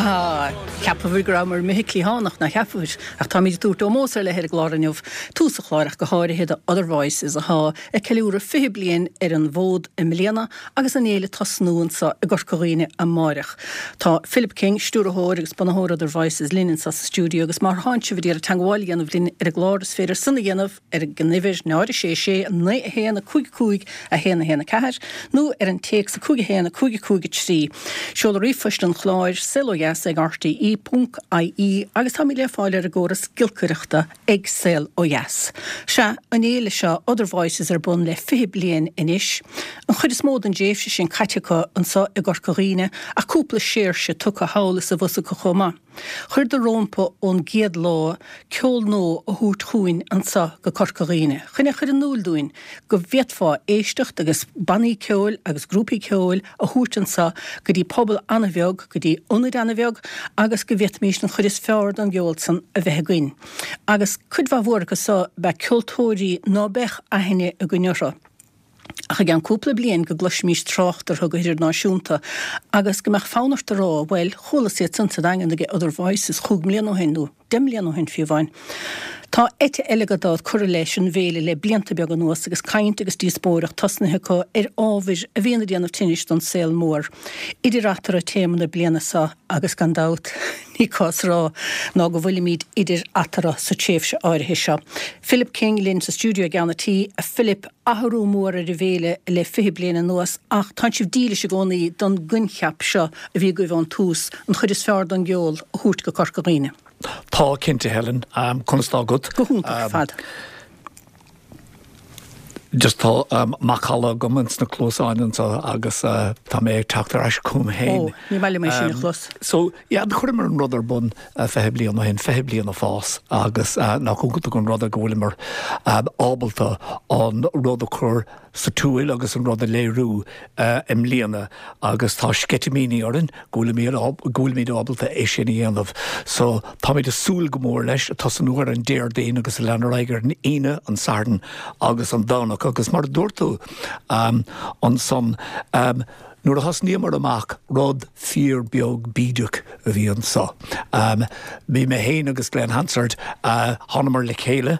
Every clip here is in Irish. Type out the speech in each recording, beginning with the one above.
Ah, cheapfá go rabhamar imithe cliathánach, nach cheapfá? Ach táimid ag tabhairt ómós ar leith ar an gclár inniu, tús an chláir ach go háirithe do Other Voices athá ag ceiliúradh 20 bliain ar an bhfód i mbliana agus an fhéile ag tosnú anso i gCorca Dhuibhne amáireach. Tá Philip King, stiúrthóir agus bunaitheoir Other Voices linn anso sa stiúideo agus má thánn sibh ag iarraidh teangmháil a dhéanamh linn ar an gclár is féidir san a dhéanamh ar an uimhir 0 6 6 9 1 5 5 1 1 4 nó ar an téacs 5 1 5 5 3. Seoladh ríomhphoist an chláir, saolodheas ag rte ponc ie agus táimid le fáil ar an gcóras giolcaireachta ag Saol Ó Dheas. Sea, an fhéile seo, Other Voices ar bun le 20 bliain anois. An chuid is mó den dtréimhse sin caite acu anso i gCorca Dhuibhne ach cúpla séirse tugtha thall is abhus acu chomh maith. Chuireadar rómpa ón gcéad lá ceol nua a thabhairt chugainn anso go Corca Dhuibhne, chun é chur in iúil dúinn go bhféadfá éisteacht agus bannaí ceoil agus grúpaí ceoil a thabhairt anso go dtí pobal ana-bheag, go dtí ionaid ana-bheag agus go bhféadfaimís an chuid is fearr den gceol san a bheith againn. Agus cuid mhaith mhór acu so b'ea ceoltóirí ná beadh aithne againn orthu. Ach i gceann cúpla bliain go gcloisfimís trácht orthu go hidirnáisiúnta agus go mbeadh fonn ort a rá, bhuel, chualas iad san sa Daingean ag Other Voices chúig mbliana ó shin, nó deich mbliana ó shin fiú amháin. Tá eite eile gan dabht curtha leis an bhféile le blianta beaga anuas agus caint agus díospóireacht tosnaithe acu ar ábhair a bhíonn ag déanamh tinnis don saol mór. Idir eatarthu téama na bliana seo agus gan dabht ní cás a rá ná go bhfuilimid idir eatarthu sa tréimhse áirithe seo. Philip King linn sa stiúideo i gceann an tí. A Philip, athrú mór ar an bhféile le 20 bliain anuas ach tánn sibh dílis i gcónaí don gcoincheap seo a bhí agaibh ón tús, an chuid is fearr don gceol a thabhairt go Corca Dhuibhne. Tá, cinnte, Helen. Conas tá agat? Go hiontach ar fad. Just tá macalla agam ins na cluasáin anseo agus tá mé ag teacht ar ais chugam féin. Ó, ní maith liom é sin a chlos. So, yeah, chuireamar an rud ar bun 20 bliain ó shin, 20 bliain ag fás agus nach iontach an rud é go bhfuileamar ábalta an rud a chur sa tsiúl agus an rud a léiriú i mbliana agus tá sceitimíní orainn go bhfuilimid ábalta é sin a dhéanamh. So táimid ag súil go mór leis, ag tosnú ar an Déardaoin agus ag lean ar aghaidh ar an Aoine, an Satharn agus an Domhnach agus mar a dúirt tú ansan, nuair a thosnaíomar amach, rud fíor beag bídeach a bhí anso. Bhí mé féin agus Glen Hansard, thánamar le chéile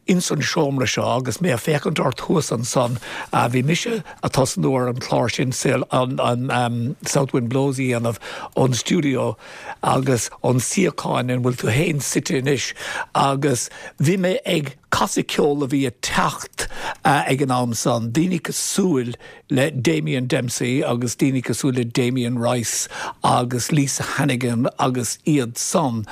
ins an seomra seo agus mé ag féachaint ort thuas ansan, bhí mise a' tosnú ar an chlár sin, an South Wind Blows a dhéanamh ón stiúideo agus ón suíochán ina bhfuil tú féin suite anois agus bhí mé ag casadh ceol a bhí ag teacht ag an am san, daoine cosúil le Damien Dempsey agus daoine cosúil le Damien Rice agus Lisa Hannigan agus iad san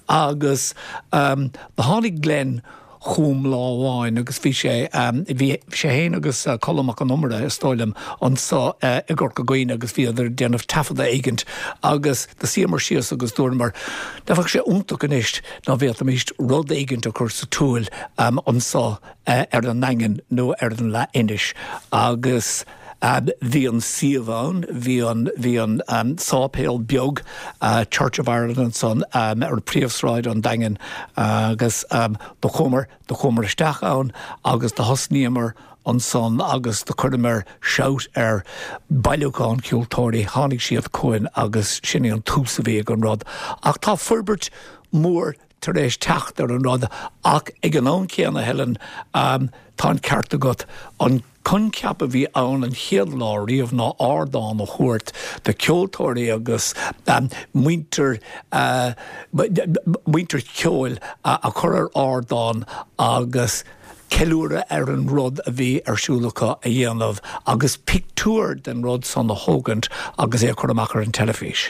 agus do tháinig Glen chugam lá amháin agus bhí sé, bhí sé féin agus Colm Mac Con Iomaire is dóigh liom anso i gCorca Dhuibhne agus bhíodar ag déanamh taifeadadh éigint agus do suíomar síos agus dúramar nach mbeadh sé iontach anois dá bhféadfaimis rud éigint a chur sa tsiúl anso ar an nDaingean nó ar an leath-inis agus bhí an suíomh ann, bhí an, bhí an sáipéal beag Church of Ireland ansan ar príomhshráid an Daingin agus do chuamar, do chuamar isteach ann agus do thosnaíomar ansan agus do chuireamar shout ar bailiúchán ceoltóirí, tháinig siad chugainn agus sin é an tús a bhí ag an rud. Ach tá forbairt mhór tar éis teacht ar an rud ach ag an am céanna, Helen, tá an ceart agat, an coincheap a bhí ann an chéad lá riamh ná ardán a thabhairt do cheoltóirí agus muintir, muintir cheoil a chur ar ardán agus ceiliúradh ar an rud a bhí ar siúl acu a dhéanamh agus pictiúr den rud san a thógaint agus é a chur amach ar an teilifís.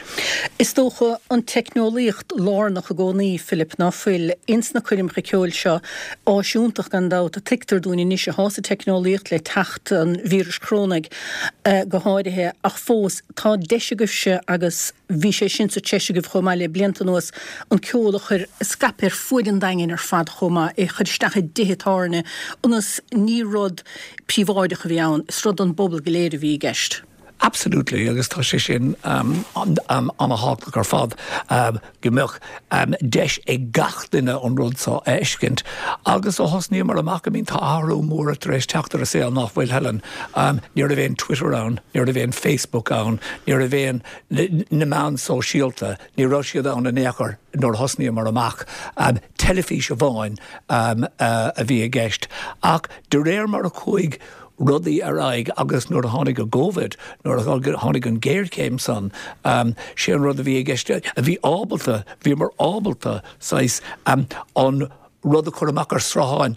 Is dócha an teicneolaíocht lárnach i gcónaí, Philip, ná fuil, ins na coirmeacha ceoil seo. Áis iontach gan dabht, tuigtear dúinn anois, athá sa teicneolaíocht le teacht an víris chorónaigh go háirithe, ach fós tá deis agaibhse agus bhí sé sin sa treis agaibh chomh maith le blianta anuas, an ceol a chur, a scaipeadh ar fuaid an Daingin ar fad chomh maith, é a chur isteach i dtithe tábhairne, ionas ní rud príobháideach a bhí ann, is rud don bpobal go léir a bhí i gceist. Absolutely, agus tá sé sin an-thábhachtach ar fad go mbeadh deis ag gach duine an rud seo a fheiscint. Agus ó thosnaíomar amach, I mean tá athrú mór tar éis teacht ar an saol nach bhfuil, Helen? Ní raibh aon Twitter ann, ní raibh aon Facebook ann, ní raibh aon na meáin sóisialta, ní raibh siad ann in aon chor nuair a thosnaíomar amach. Teilifís amháin a bhí i gceist. Ach de réir mar a chuaigh rudaí ar aghaidh agus nuair a tháinig an Covid, nuair a tháinig an ghéarchéim san, sé an rud a bhí i gceist, a bhí ábalta, bhíomar ábalta saghas an rud a chur amach ar srutháin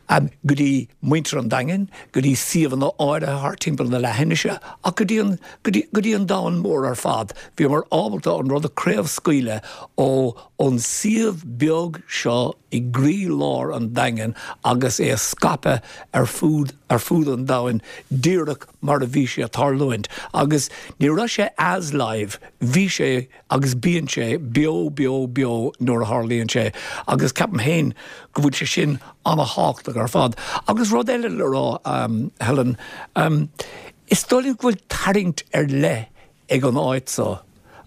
go dtí muintir an Daingin, go dtí suíomhanna áirithe thart timpeall na leathinise ach go dtí an, go dtí, go dtí an domhan mór ar fad. Bhíomar ábalta an rud a craobhscaoileadh ó ón suíomh beag seo i gcroí-lár an Daingin agus é a scaipeadh ar fud ar fud an domhain díreach mar a bhí sé ag tarlúint. Agus ní raibh sé as live, bhí sé agus bíonn sé beo beo beo nuair a tharlaíonn sé agus ceapaim féin go bhfuil sé sin ana-thábhachtach ar fad. Agus rud eile le rá, Helen, is dóigh liom go bhfuil tarraingt ar leith ag an áit so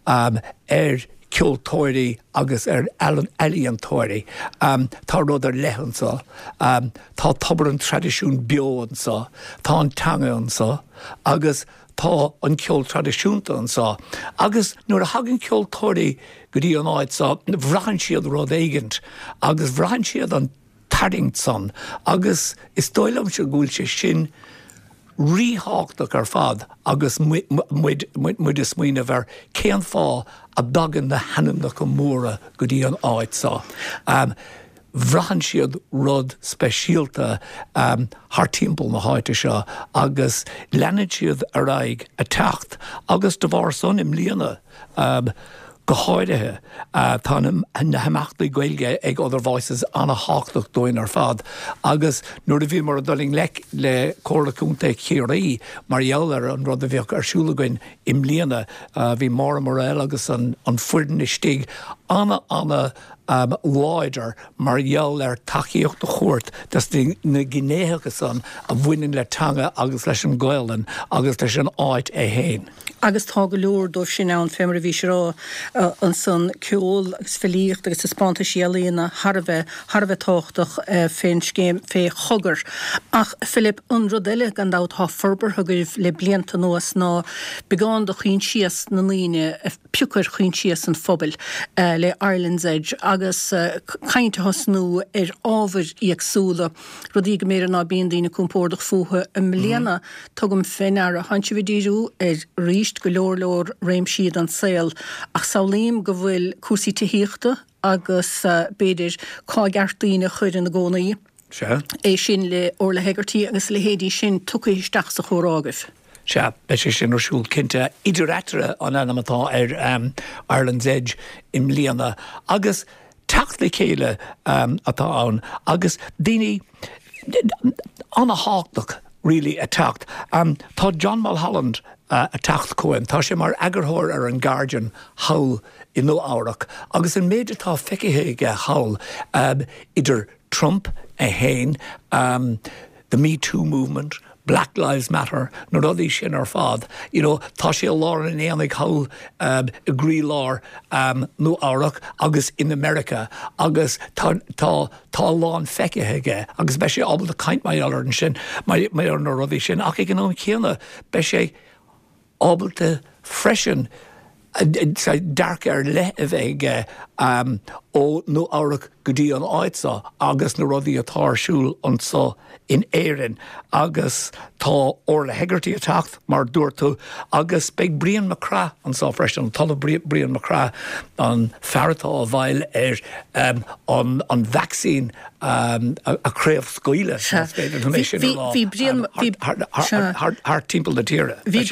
ar cheoltóirí agus ar ealaíontóirí. Tá rud ar leith anso. Tá tobar an traidisiúin beo anso. Tá an teanga anso agus tá an ceol traidisiúnta anso. Agus nuair a thagann ceoltóirí go dtí an áit so, bhraitheann siad rud éigint agus bhraitheann siad an tarraingt san agus is dóigh liomsa go bhfuil sé sin ríthábhachtach ar fad agus muid ag smaoineamh ar cén fáth a dtagann na hainmneacha móra go dtí an áit seo. Bhraitheann siad rud speisialta thar timpeall na háite seo agus leanann siad ar aghaidh ag teacht agus de bharr san i mbliana Go háirithe, tá na himeachtaí Gaeilge ag Other Voices an-thábhachtach dúinn ar fad agus nuair a bhíomar ag dul i ngleic le Comhairle Contae Chiarraí mar gheall ar an rud a bheadh ar siúl againn i mbliana, bhí Maura Murrell agus an foireann istigh ana-ana láidir mar gheall ar tacaíocht a thabhairt dos na gnéitheacha san a bhaineann le teanga agus leis an Ghaelainn agus leis an áit é fhéin. Agus tá go leor dóibh sin ann, fé mar a bhís ag rá ansan, ceol agus filíocht agus taispeántaisí ealaíona thar a bheith, thar a bheith tábhachtach fén scéim, fé Chogar. Ach, Philip, an rud eile, gan dabht, atá forbartha agaibh le blianta anuas ná beagán de choinsias na ndaoine a phiocadh ar choinsias an phobail le Ireland's Edge agus caint a thosnú ar ábhair éagsúla. Rudaí go mb'fhéidir ná bíonn daoine compordach fúthu. I mbliana, tugaim fé ndeara, tánn sibh ag díriú ar arís go leor leor réimsí den saol, ach samhlaím go bhfuil cúrsaí tithíochta agus b'fhéidir cá gceart daoine a chur ina gcónaí, Sea. é sin le Orla Hegarty agus a leithéidí sin tugtha isteach sa chomhrá agaibh. Sea, beidh sé sin ar siúl cinnte. Idir Eatarthu an ainm atá ar Ireland's Edge i mbliana agus teacht le chéile atá ann agus daoine an-thábhachtach really ag teacht. Tá John Mulholland ag teacht chugainn. Tá sé mar eagarthóir ar an Guardian thall i Nua Eabhrac agus an méid atá feicthe aige thall idir Trump é fhéin, the Me Too movement, Black Lives Matter, na rudaí sin ar fad, you know, tá sé i lár an aonaigh thall i gcroílár Nua Eabhrac agus in America agus tá, tá, tá a lán feicthe aige agus beidh sé ábalta caint mar gheall ar sin, mar gheall ar na rudaí sin ach ag an am chéanna beidh sé ábalta freisin dearcadh ar leith a bheith aige ó Nua Eabhrac go dtí an áit seo agus na rudaí atá ar siúl anseo in Éirinn agus tá Orla Hegarty ag teacht, mar a dúirt tú, agus beidh Brian Mac Craith anseo freisin, an tOllamh Brian Mac Craith, an fear atá i bhfeighil ar an vacsaín a chraobhscaoileadh, más féidir liom é sin a rá, thart timpeall na tíre. Bhí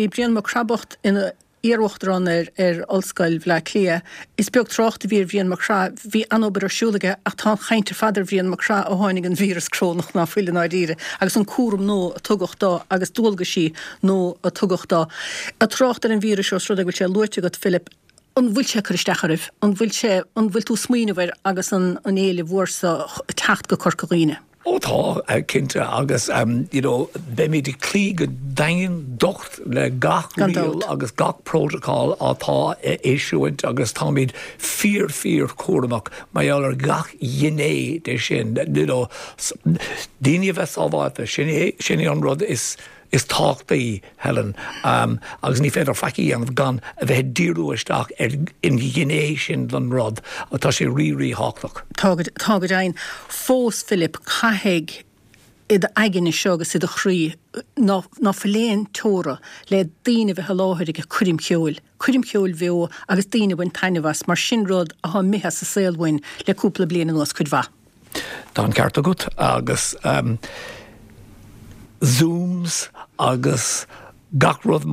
Brian Mac Craith bocht ina iar-uachtarán ar Ollscoil Bhaile Átha Cliath. Is beag trácht a bhí ar Bhrian Mac Craith. Bhí an-obair ar siúl aige ach tá an chaint ar fad ar Bhrian Mac Craith ó tháinig an víreas corónach ná fuil i ndáiríre agus an cúram nua a tugadh dó agus dualgaisí nua a tugadh dó. Ag trácht ar an víreas ós rud é go bhfuil sé luaite agat, Philip, An bhfuil sé ag cur isteach oraibh? An bhfuil sé, an bhfuil tú ag smaoineamh air agus an an fhéile mhór seo ag teacht go Corca Dhuibhne? Ó tá, cinnte, agus you know beimid ag cloí go daingean docht le gach riail agus gach protocol atá á eisiúint agus táimid fíor fíor cúramach mar gheall ar gach gné de sin, you know daoine a bheith sábháilte, sin é sin é an rud is is tábhachtaí, Helen, agus ní féidir faic a dhéanamh gan a bheith ag díriú isteach ar an ghné sin den rud, tá sé rí-ríthábhachtach. Tá go, tá go deimhin. Fós, Philip, caithfidh i d'aigne seo agus i do chroí ná, ná fuil aon teora le daoine a bheith i láthair ag coirm cheoil, coirm cheoil bheo agus daoine a bhaint taitneamh as, mar sin rud athá imithe as an saol uainn le cúpla bliain anuas, cuid mhaith. Tá an ceart agat agus Zooms agus gach rud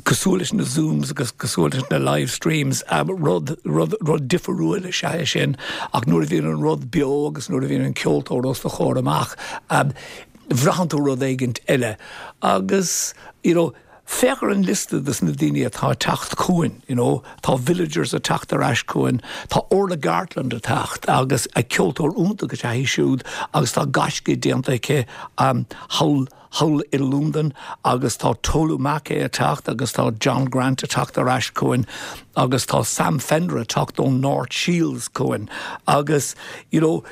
cosúil leis na Zooms agus cosúil leis na live streams, rud, rud, rud difriúil is ea é sin ach nuair a bhíonn an rud beo agus nuair a bhíonn an ceoltóir os do chomhair amach, braitheann tú rud éigint eile agus you know, Féach ar an liosta dos na daoine atá ag teacht chugainn, you know, tá Villagers ag teacht ar ais chugainn, tá Orla Gartland ag teacht agus ceoltóir iontach is ea í siúd agus tá gaisce déanta aici thall thall i Londain agus tá Tolu Makay ag teacht agus tá John Grant ag teacht ar ais chugainn agus tá Sam Fender ag teacht ón North Shields chugainn agus you know,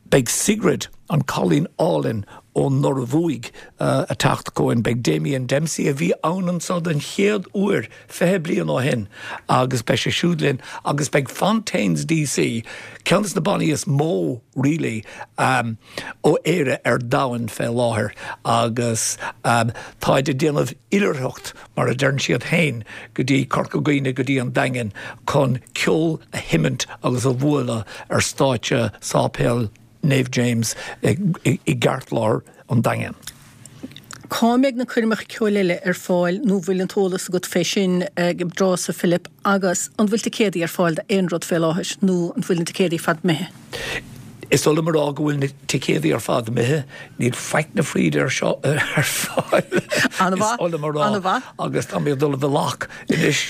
Beidh Sigrid, an cailín álainn ón Norbhuaidh, ag teacht chugainn. Beidh Damien Dempsey, a bhí ann anseo den chéad uair 20 bliain ó shin, agus beidh sé siúd linn. Agus beidh Fontaines DC, ceann de na bannaí is mó really ó Éire ar domhan fé láthair, agus táid ag déanamh oilithreacht mar a deireann siad féin, go dtí Corca Dhuibhne, go dtí an Daingean, chun ceol a sheimint agus a bhualadh ar stáitse Sáipéal Naomh James i gceartlár an Daingin. Cá mbeidh na coirmeacha ceoil eile ar fáil nó bhfuil an t-eolas agat fé sin ag an dtráth so Philip agus an bhfuil ticéadaí ar fáil d'aon rud fé láthair nó an bhfuil na ticéadaí ar fad imithe? Is oth liom a rá go bhfuil na ticéadaí ar fad imithe. Níl faic na fríde ar seo ar fáil. An-mhaith. Is oth liom a rá. An-mhaith. Agus tá mé ag dul a bheith lac anois.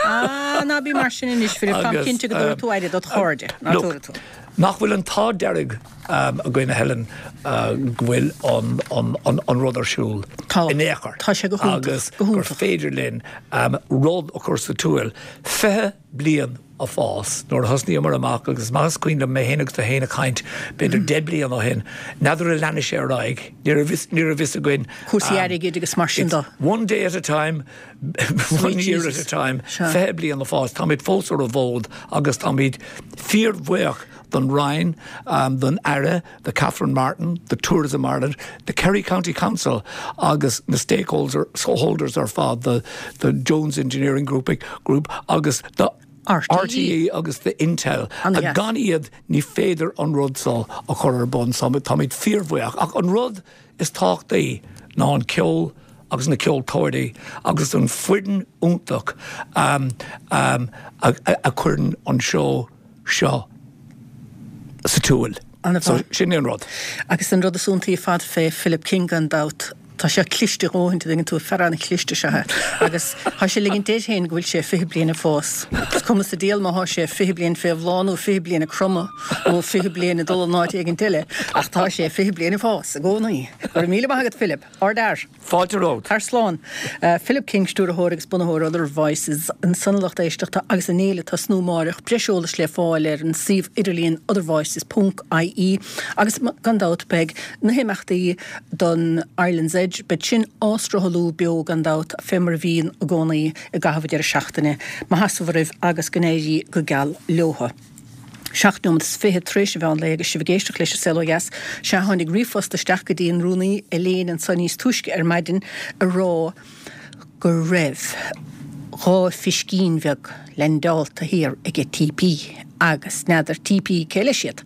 Ah, ná bí mar sin anois, Philip. Táim cinnte go dtabharfaidh tú aire dod chairde. Ná tabharfaidh tú. Nach bhfuil an t-ádh dearg againn, a Helen, go bhfuil an rud ar siúl in aon chor. Tá sé go hiontach. Agus gur féidir linn rud a chur sa tsiúl. 20 bliain a fás. Nuair a thosnaíomar amach, agus is maith is cuimhin liom mé féin agus tú féin ag caint b'fhéidir 10 bliain ó shin, n'fheadar an leanfaidh sé ar aghaidh, ní raibh fhios, ní raibh fhios againn. Cúrsaí airgid agus mar sin de. One day at a time, one year at a time, 20 bliain a fás. Táimid fós ar an bhfód agus táimid fíorbhuíoch don Roinn, don Aire, do Catherine Martin, do Tourism Ireland, do Kerry County Council agus na stakeholders ar fad, do Jones Engineering Group Group agus do RTÉ agus do Intel. Gan iad ní féidir an rud seo a chur ar bun. So táimid fíorbhuíoch. Ach an rud is tábhachtaí ná an ceol agus na ceoltóirí agus an foireann iontach a chuireann an seó seo sa tsiúl. So, sin é an rud. Agus an rud is iontaí ar fad fé Philip King gan dabht, tá sé cliste a dhóthain, an dtuigeann tú, fear an-chliste is ea é. Agus tá sé ag ligint air féin go bhfuil sé 20 bliain ag fás. Is cuma sa diabhal má thá sé 20 bliain fé bhláth nó 20 bliain ag cromadh nó 20 bliain ag dul in áit éigint eile, ach tá sé 20 bliain ag fás i gcónaí. Go raibh míle maith agat Philip. Ardfhear. Fáilte romhat. Tar slán. Philip King, stiúrthóir agus bunaitheoir Other Voices, ansan a lucht éisteachta agus an fhéile ag tosnú amáireach. Breis eolais le fáil ar an suíomh idirlíon othervoices ponc ie agus gan dabht beidh na himeachtaí don Ireland's Edge, beidh sin á sruthlú beo gan dabht fé mar a bhíonn i gcónaí i gcaitheamh an deireadh seachtaine. Maith as oraibh agus go n-éirí go geal leotha. 7 nóiméad is 20 tar éis an mheán lae agus sibh ag éisteacht leis An Saol Ó Dheas. Sea, tháinig ríomhphost isteach go dtí an Rúnaí Elaine anso níos túisce ar maidin ag rá go raibh 2 phiscín bheag leaindeálta thiar aige TP agus n'fheadar TP cé leis iad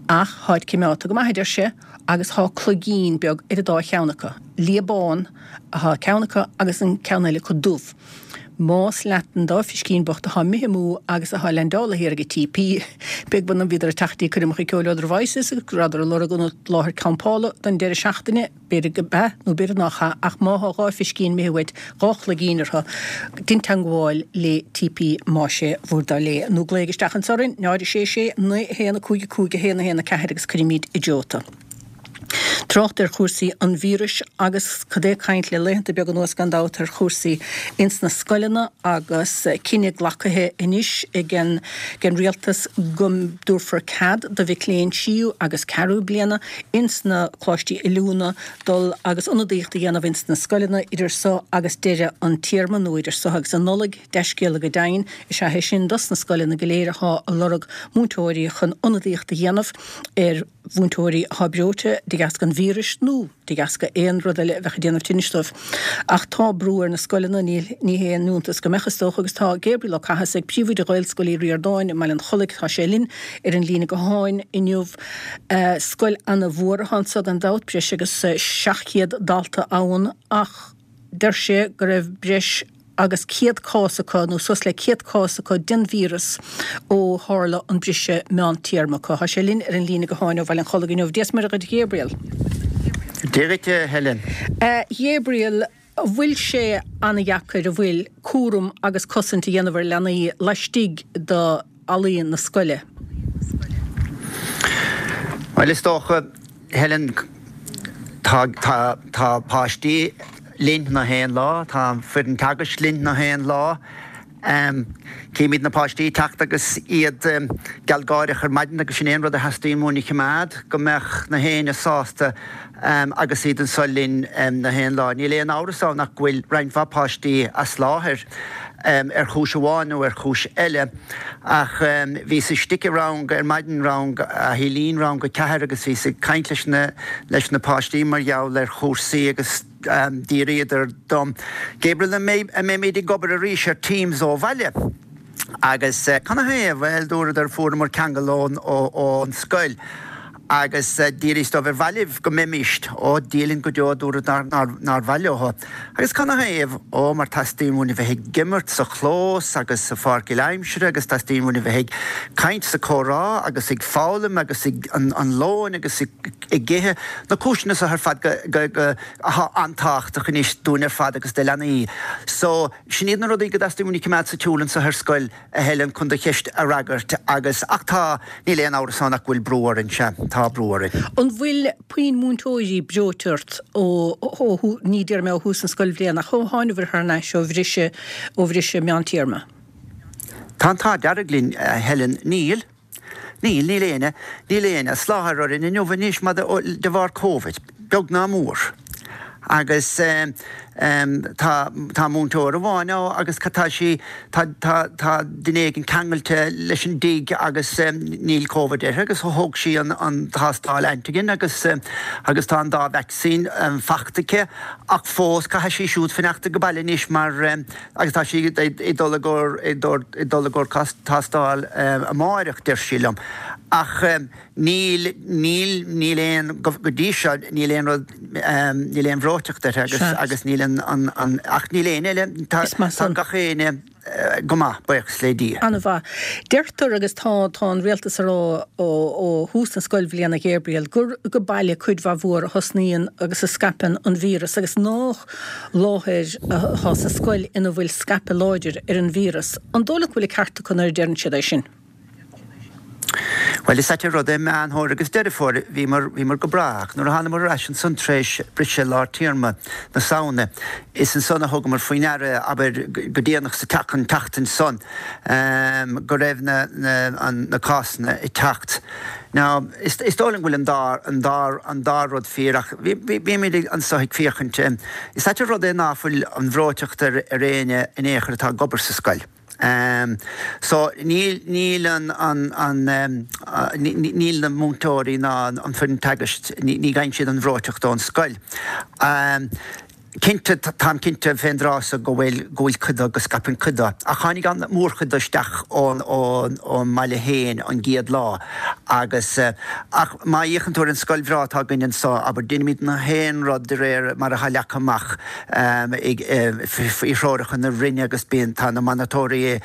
ach tháid cimeádta go maith a deir sé agus thá cloigín beag ar an dá cheann acu. Liath bán athá ceann acu agus an ceann eile acu dubh. Más leat an dá phiscín bocht athá imithe amú agus athá leaindeálaithe thiar ag an TP, beag beann an bhíodar ag teacht dtí coirmeacha ceoil Other Voices agus go rabhadar ag lorg ionad láthair campála don deireadh seachtaine, b'fhéidir go b'ea nó b'fhéidir nách ea, ach má thá 2 phiscín imithe uait, 2 chloigín orthu, dein teangmháil le TP más é bhur dtoil é. Nó glaoigh isteach anso orainn, 0 6 6 9 1 5 5 1 1 4 agus cuirfimid i dtreo tú. Trácht ar chúrsaí an víris agus cad é caint le laethanta beaga anuas gan dabht ar chúrsaí ins na scoileanna agus cinneadh glacaithe anois ag an rialtas go dtabharfar cead do mhic léinn tríú agus ceathrú bliana ins na coláistí oiliúna dul agus ionadaíocht a dhéanamh ins na scoileanna idir so agus deireadh an téarma nó idir so agus an Nollaig. Dea-scéala go deimhin is ea é sin dos na scoileanna go léir athá ag lorg múinteoirí chun ionadaíocht a dhéanamh ar mhúinteoirí athá breoite de dheasca an víris nó de dheasca aon rud eile a bheadh ag déanamh tinnis dóibh. Ach tá brú ar na scoileanna, ní haon iontas go mbeadh, is dócha, agus tá Gabriel Ó Cathasaigh, Príomhoide Ghaelscoil Uí Ríordáin i mBaile an Chollaigh, tá sé linn ar an líne gutháin inniu. Scoil ana-mhór athá anso gan dabht, breis agus 700 dalta ann ach deir sé go raibh breis agus 100 cás acu, nó suas le 100 cás acu den víreas ó tharla an briseadh meántéarma acu. Tá sé linn ar an líne gutháin ó Bhaile an Chollaigh inniu. Dia 's Muire dhuit a Ghabriel. Dia dhuit a Helen. A Ghabriel, an bhfuil sé ana-dheacair, an bhfuil, cúram agus cosaint a dhéanamh ar leanaí laistigh de fhallaí na scoile? Bhuel, is dócha, Helen, tá, tá, tá páistí linn na haon lá, tá an foireann teagaisc linn na haon lá. Címid na páistí ag teacht agus iad gealgáireach ar maidin agus sin é an rud a theastaíonn uainn a choimeád, go mbeadh na héinne sásta agus iad anso linn na haon lá. Níl aon amhras ann ach go bhfuil roinnt mhaith páistí as láthair ar chúis amháin nó ar chúis eile ach bhíos istigh i rang ar maidin, rang a Shílín, rang a ceathair agus bhíos ag caint leis na leis na páistí mar gheall ar chúrsaí agus d'fhiafraíodar dom, Gabriel an mbeidh an mbeimid ag obair arís ar Teams ó bhaile? Agus canathaobh? Bhuel, dúradar, fuaireamar ceangal ón ón scoil agus d'fhiafraíos dóibh ar mhaith libh go mbeimíst? Ó, Dia linn go deo, dúradar nár nár mhaith leo. Agus canathaobh? Ó, mar teastaíonn uainn a bheith ag imirt sa chlós agus sa pháirc aimsire agus teastaíonn uainn a bheith ag caint sa comhrá agus ag foghlaim agus ag an an lóin agus ag ag ithe. Na cúiseanna seo ar fad go go go athá an-tábhachtach anois dúinn ar fad agus do leanaí. So, sin iad na rudaí go dteastaíonn uainn a choimeád sa tsiúl anseo ar scoil. a Helen, chun do cheist a fhreagairt agus, ach tá, níl aon amhras ann ach go bhfuil brú orainn, sea, tá brú orainn. An bhfuil puinn múinteoirí breoite ort ó, ó, ní déarfaidh mé ó thús na scoilbhliana, ach ó thánabhair thar n-ais ó bhriseadh, ó bhriseadh meántéarma? Tá an t-ádh dearg linn, a Helen, níl. Níl, níl éinne, níl éinne as láthair orainn inniu anois mar de bharr Covid, beag ná mór. Agus tá, tá múinteoir amháin ann agus tá sí, tá, tá, tá duine éigin ceangailte leis an dtigh agus níl Covid uirthi agus thóg sí an, an tástáil antigen agus, agus tá an dá vacsaín fachta aici ach fós caithfidh sí siúd fanacht ag baile anois mar, Agus tá sí ag dul i gcomhair tástáil amáireach, deir sí liom. Ach níl, níl, níl aon, go dtí seo, níl aon rud, níl aon bhreoiteacht uirthi agus, agus níl an, an, an, ach níl éinne eile, tá, tá gach éinne go maith, buíochas le Dia. An-mhaith. Deirtear, agus tá, tá an rialtas ag rá ó, ó thús na scoilbhliana, Gabriel, gur go baile cuid mhaith mhór a thosnaíonn agus a scaipeann an víreas agus nách láthair atá sa scoil ina bhfuil scaipeadh láidir ar an víreas. An dóigh leat go bhfuil an ceart acu nuair a deireann siad é sin? Bhuel, is ait an rud é, Meán Fómhair agus Deireadh Fómhair, bhíomar, bhíomar go breá, ach nuair a thánamar ar ais ansan tar éis briseadh lár téarma na Samhna, is ansan a thugamar faoi ndeara, abair, go déanach sa tseachtain, tseachtain san, go raibh na, na, an, na cásanna ag teacht. Now, is dóigh liom go bhfuil an dá, an dá, an dá rud fíor ach bímid anso ag féachaint, is ait an rud é ná fuil an bhreoiteacht ar, ar éinne in aon chor atá ag obair sa scoil. So, níl, níl an, an, an, níl na múinteoirí ná an foireann teagaisc, ní, ní gheibheann siad an bhreoiteacht ón scoil. Cinnte, táim cinnte fén dtráth so go bhfuil, go bhfuil cuid de, go scaipeann cuid de. Ach tháinig an mhórchuid de isteach ón, ón, ón mbaile féin an gcéad lá agus, ach má fhéachann tú ar an scoil bhreá atá againn anso, abair, deinimid na haon rud de réir mar atá leagtha amach ag, faoi threoracha na Roinne agus bíonn, tá na monatóirí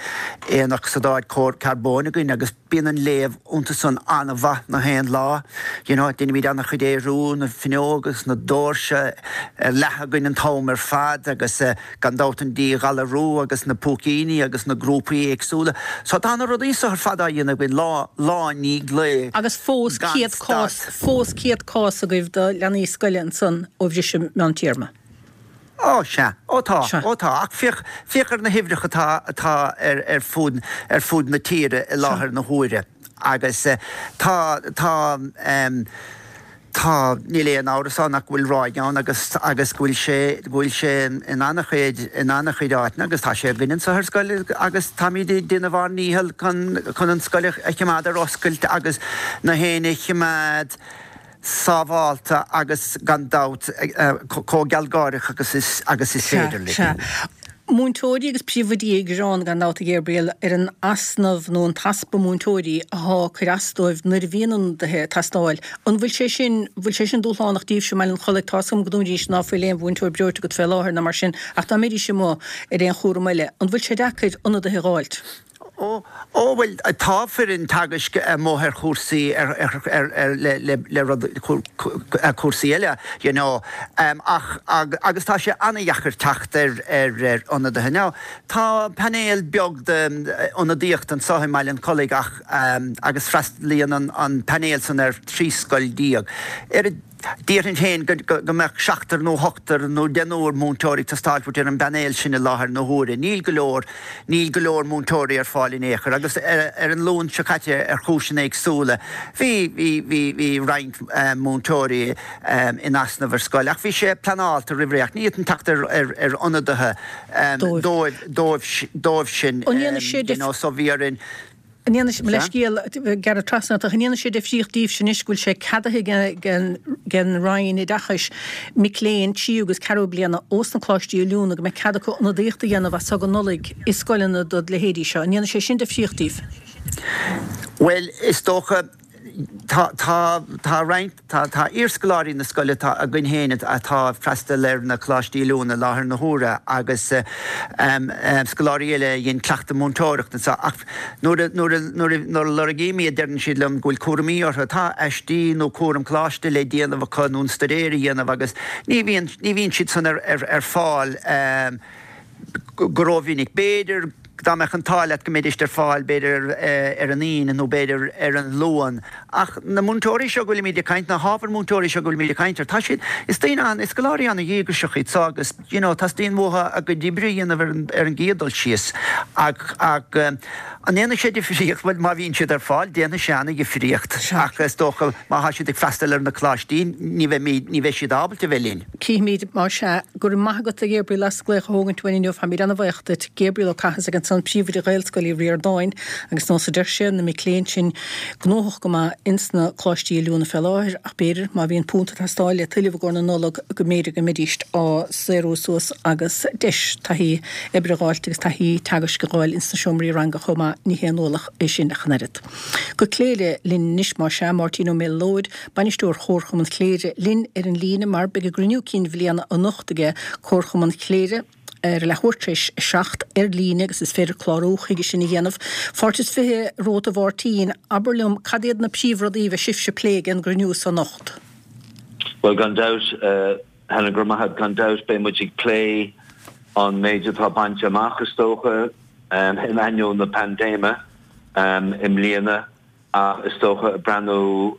aonocsaíd carbóin againn agus, Bíonn an léamh iontu san an-mhaith na haon lá. You know, deinimid an-chuid aerú, na fuinneoga agus na doirse ar leathadh againn an t-am ar fad agus gan dabht an díghalarú agus na púicíní agus na grúpaí éagsúla. So tá na rudaí so ar fad á dhéanamh againn lá, lá i ndiaidh lae Agus fós gan 100 cás, stad. fós 100 cás agaibh do leanaí scoile ansan ó bhriseadh meán téarma. Ó, sea. Ó, tá. Sea. Ó, tá. Ach féach, féach ar na huimhreacha atá, atá ar, ar fud, ar fud na tíre i Sea. láthair na huaire. Agus tá, tá, em, tá, níl aon amhras ann ach go bhfuil ráig ann agus, agus go bhfuil sé, go bhfuil sé in an-chuid, in an-chuid áiteanna agus tá sé againn anseo ar scoil agus táimid ag déanamh ár ndícheall chun, chun an scoil a, a choimeád ar oscailt agus na héinne a choimeád, sábhálta agus gan dabht chomh gealgháireach agus is agus is Sea, féidir linn. sea. Múinteoirí agus príomhoidí ag gearán gan dabht a Ghabriel ar an easnamh nó an t-easpa múinteoirí athá ag cur as dóibh nuair a bhíonn ionadaithe ag teastáil. An bhfuil sé sin, bhfuil sé sin dúshlánach daoibhse i mBaile an Chollaigh? Tá's agam go ndúirt ná fuil aon mhúinteoir breoite agat fé láthair ná mar sin ach dá mbeidís amuigh ar aon chúram eile, an bhfuil sé deacair ionadaithe a dh'fháilt? Ó, ó, bhuel, tá foireann teagaisc amuigh ar chúrsaí, ar, ar, ar, ar, le, le, le rud, cúrsaí eile, you know, ach, agus tá sé an-dheacair teacht ar, ar, ar ionadaithe. Now, tá painéal beag d'ionadaíocht anseo i mBaile an Chollaigh ach, agus freastalaíonn an, an painéal san ar 13 scoil. Ar a. Déarfainn féin go mbeadh seachtar nó ochtar nó deichniúr múinteoirí ag teastáil uait ar an bpainéal sin i láthair na huaire. Níl go leor, níl go leor múinteoirí ar fáil in aon chor agus ar an Luan seo caite ar chúiseanna éagsúla bhí, bhí, bhí, bhí roinnt múinteoirí in easnamh ar scoil ach bhí sé pleanáilte roimh ré ach ní fhéadfainn teacht ar, ar, ar ionadaithe dóibh, dóibh, dóibh sin An ndéanfaidh sé you know so bhí orainn. An ndéanfaidh, mo leithscéal, gearradh trasna ort, ach an ndéanfaidh sé difríocht daoibhse anois go bhfuil sé ceadaithe ag an Roinn Oideachais mic léinn tríú agus ceathrú bliana ós na coláistí oiliúna go mbeidh cead acu ionadaíocht a dhéanamh as so go Nollaig i scoileanna dod leithéidí seo. An ndéanfaidh sé sin difríocht daoibh? Bhuel, is dócha, tá, tá, tá roinnt, Tá tá iarscoláirí na scoile atá againn féin atá ag freastal ar na coláistí oiliúna i láthair na huaire agus scoláirí eile a dhein cleachtadh múinteoireachta anseo ach nuair a nuair a nuair a nuair a lorgaím iad deireann siad liom go bhfuil cúraimí orthu. Tá aistí nó cúram coláiste le déanamh acu nó an staidéar a dhéanamh agus ní bhíonn ní bhíonn siad san ar ar ar fáil go rómhinic. B'fhéidir dá mbeadh an t-ádh leat go mbeidís ar fáil b'fhéidir ar an Aoine nó b'fhéidir ar an Luan. Ach na múinteoirí seo go bhfuilimid ag caint, na hábhair múinteoirí seo go bhfuilimid ag caint air, tá siad, is daoine an, is scoláirí an-dhíograiseach iad so agus you know teastaíonn uathu a gcuid oibre a dhéanamh ar an, ar an gcéad dul síos. Ach, ach an ndéanfaidh sé difríocht? Bhuel má bhíonn siad ar fáil déanfaidh sé an-dhifríocht ach is dócha má thá siad ag freastal ar na coláistí ní bheimid, ní bheidh siad ábalta a bheith linn. Cífimid, más ea. Go raibh maith agat, a Ghabriel, as glaoch a thógaint uainn inniu. Táimid ana-bhaoch duit. Gabriel Ó Cathasaigh ansan, Príomhoide Ghaelscoil Uí Ríordáin, agus nós a deir sé, na mic léinn sin gnóthach go maith ins na coláistí oiliúna fé láthair, ach b'fhéidir, má bhíonn punt ag teastáil le tuilleamh i gcomhair na Nollag, go mb'fhéidir go mbeidíst á saorú suas agus deis taithí oibre a dh'fháilt agus taithí teagaisc a dh'fháil ins na seomraí ranga chomh maith. Ní haon ualach é sin ach an oiread. Go Cléire linn anois, más ea, Máirtín Ó Méalóid, Bainisteoir Chomharchumann Chléire, linn ar an líne mar beidh a gcruinniú cinn bhliana anocht aige Comharchumann Chléire ar a leathuair tar éis 7 ar líne agus is féidir clárú chuige sin a dhéanamh. Fáilte is 20 romhat a Mháirtín, abair liom cad iad na príomhrudaí a bheidh sibhse a phlé ag an gcruinniú so anocht? Bhuel gan dabht, Helen, go raibh maith agat, gan dabht beidh muid ag plé an méid atá bainte amach is dócha in ainneoin na paindéime i mbliana. Ach is dócha, ag breathnú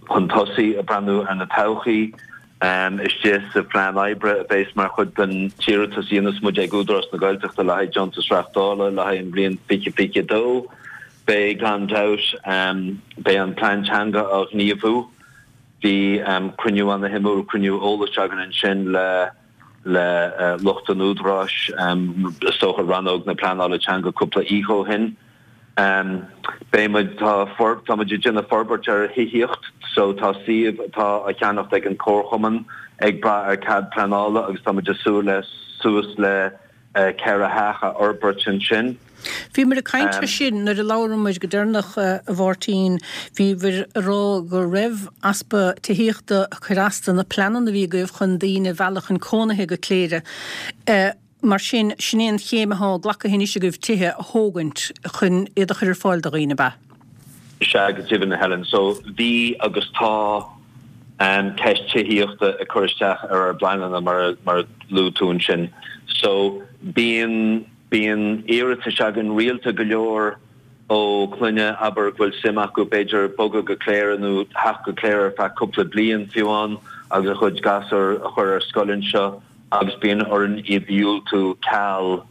chun tosaigh, ag breathnú ar na todhchaí, istigh sa phlean oibre a bheas mar chuid den t-iarratas a dhéanfas muid ag Údarás na Gaeltachta le haghaidh deontas reáchtála le haghaidh an bhliain 2022, beidh, gan dabht, beidh an plean teanga á ghníomhú. Bhí cruinniú ana-shuimiúil, cruinniú eolais againn ansin le le lucht an Údaráis, is dócha rannóg na pleanála teanga cúpla oíche ó shin. Beidh muid, tá, tá muid ag déanamh forbairt ar thithíocht so tá suíomh atá á cheannacht ag an Comharchumann ag brath ar cead pleanála agus tá muid ag súil le suas le 4 theach a fhorbairt ansin. Bhíomar ag caint ar sin nuair a labhramar go deireanach, a Mháirtín. Bhíobhair ag rá go raibh easpa tithíochta ag cur as do na pleananna a bhí agaibh chun daoine a mhealladh chun cónaithe go Cléire. Mar sin, sin é an chéim atá glactha anois agaibh tithe a thógaint chun iad a chur ar fáil do dhaoine, ab ea? Sea, go deimhin, a Helen. So, bhí agus tá ceist tithíochta ag cur isteach ar ár bpleananna, mar a luaigh tú ansin. So, bíonn, bíonn iarratais againn rialta go leor ó clainne, abair, go bhfuil suim acu, b'fhéidir, bogadh go Cléire nó theacht go Cléire ar feadh cúpla bliain, fiú amháin, agus a chuid gasúr a chur ar scoil anseo. agus bíonn orainn iad a dhiúltú ceal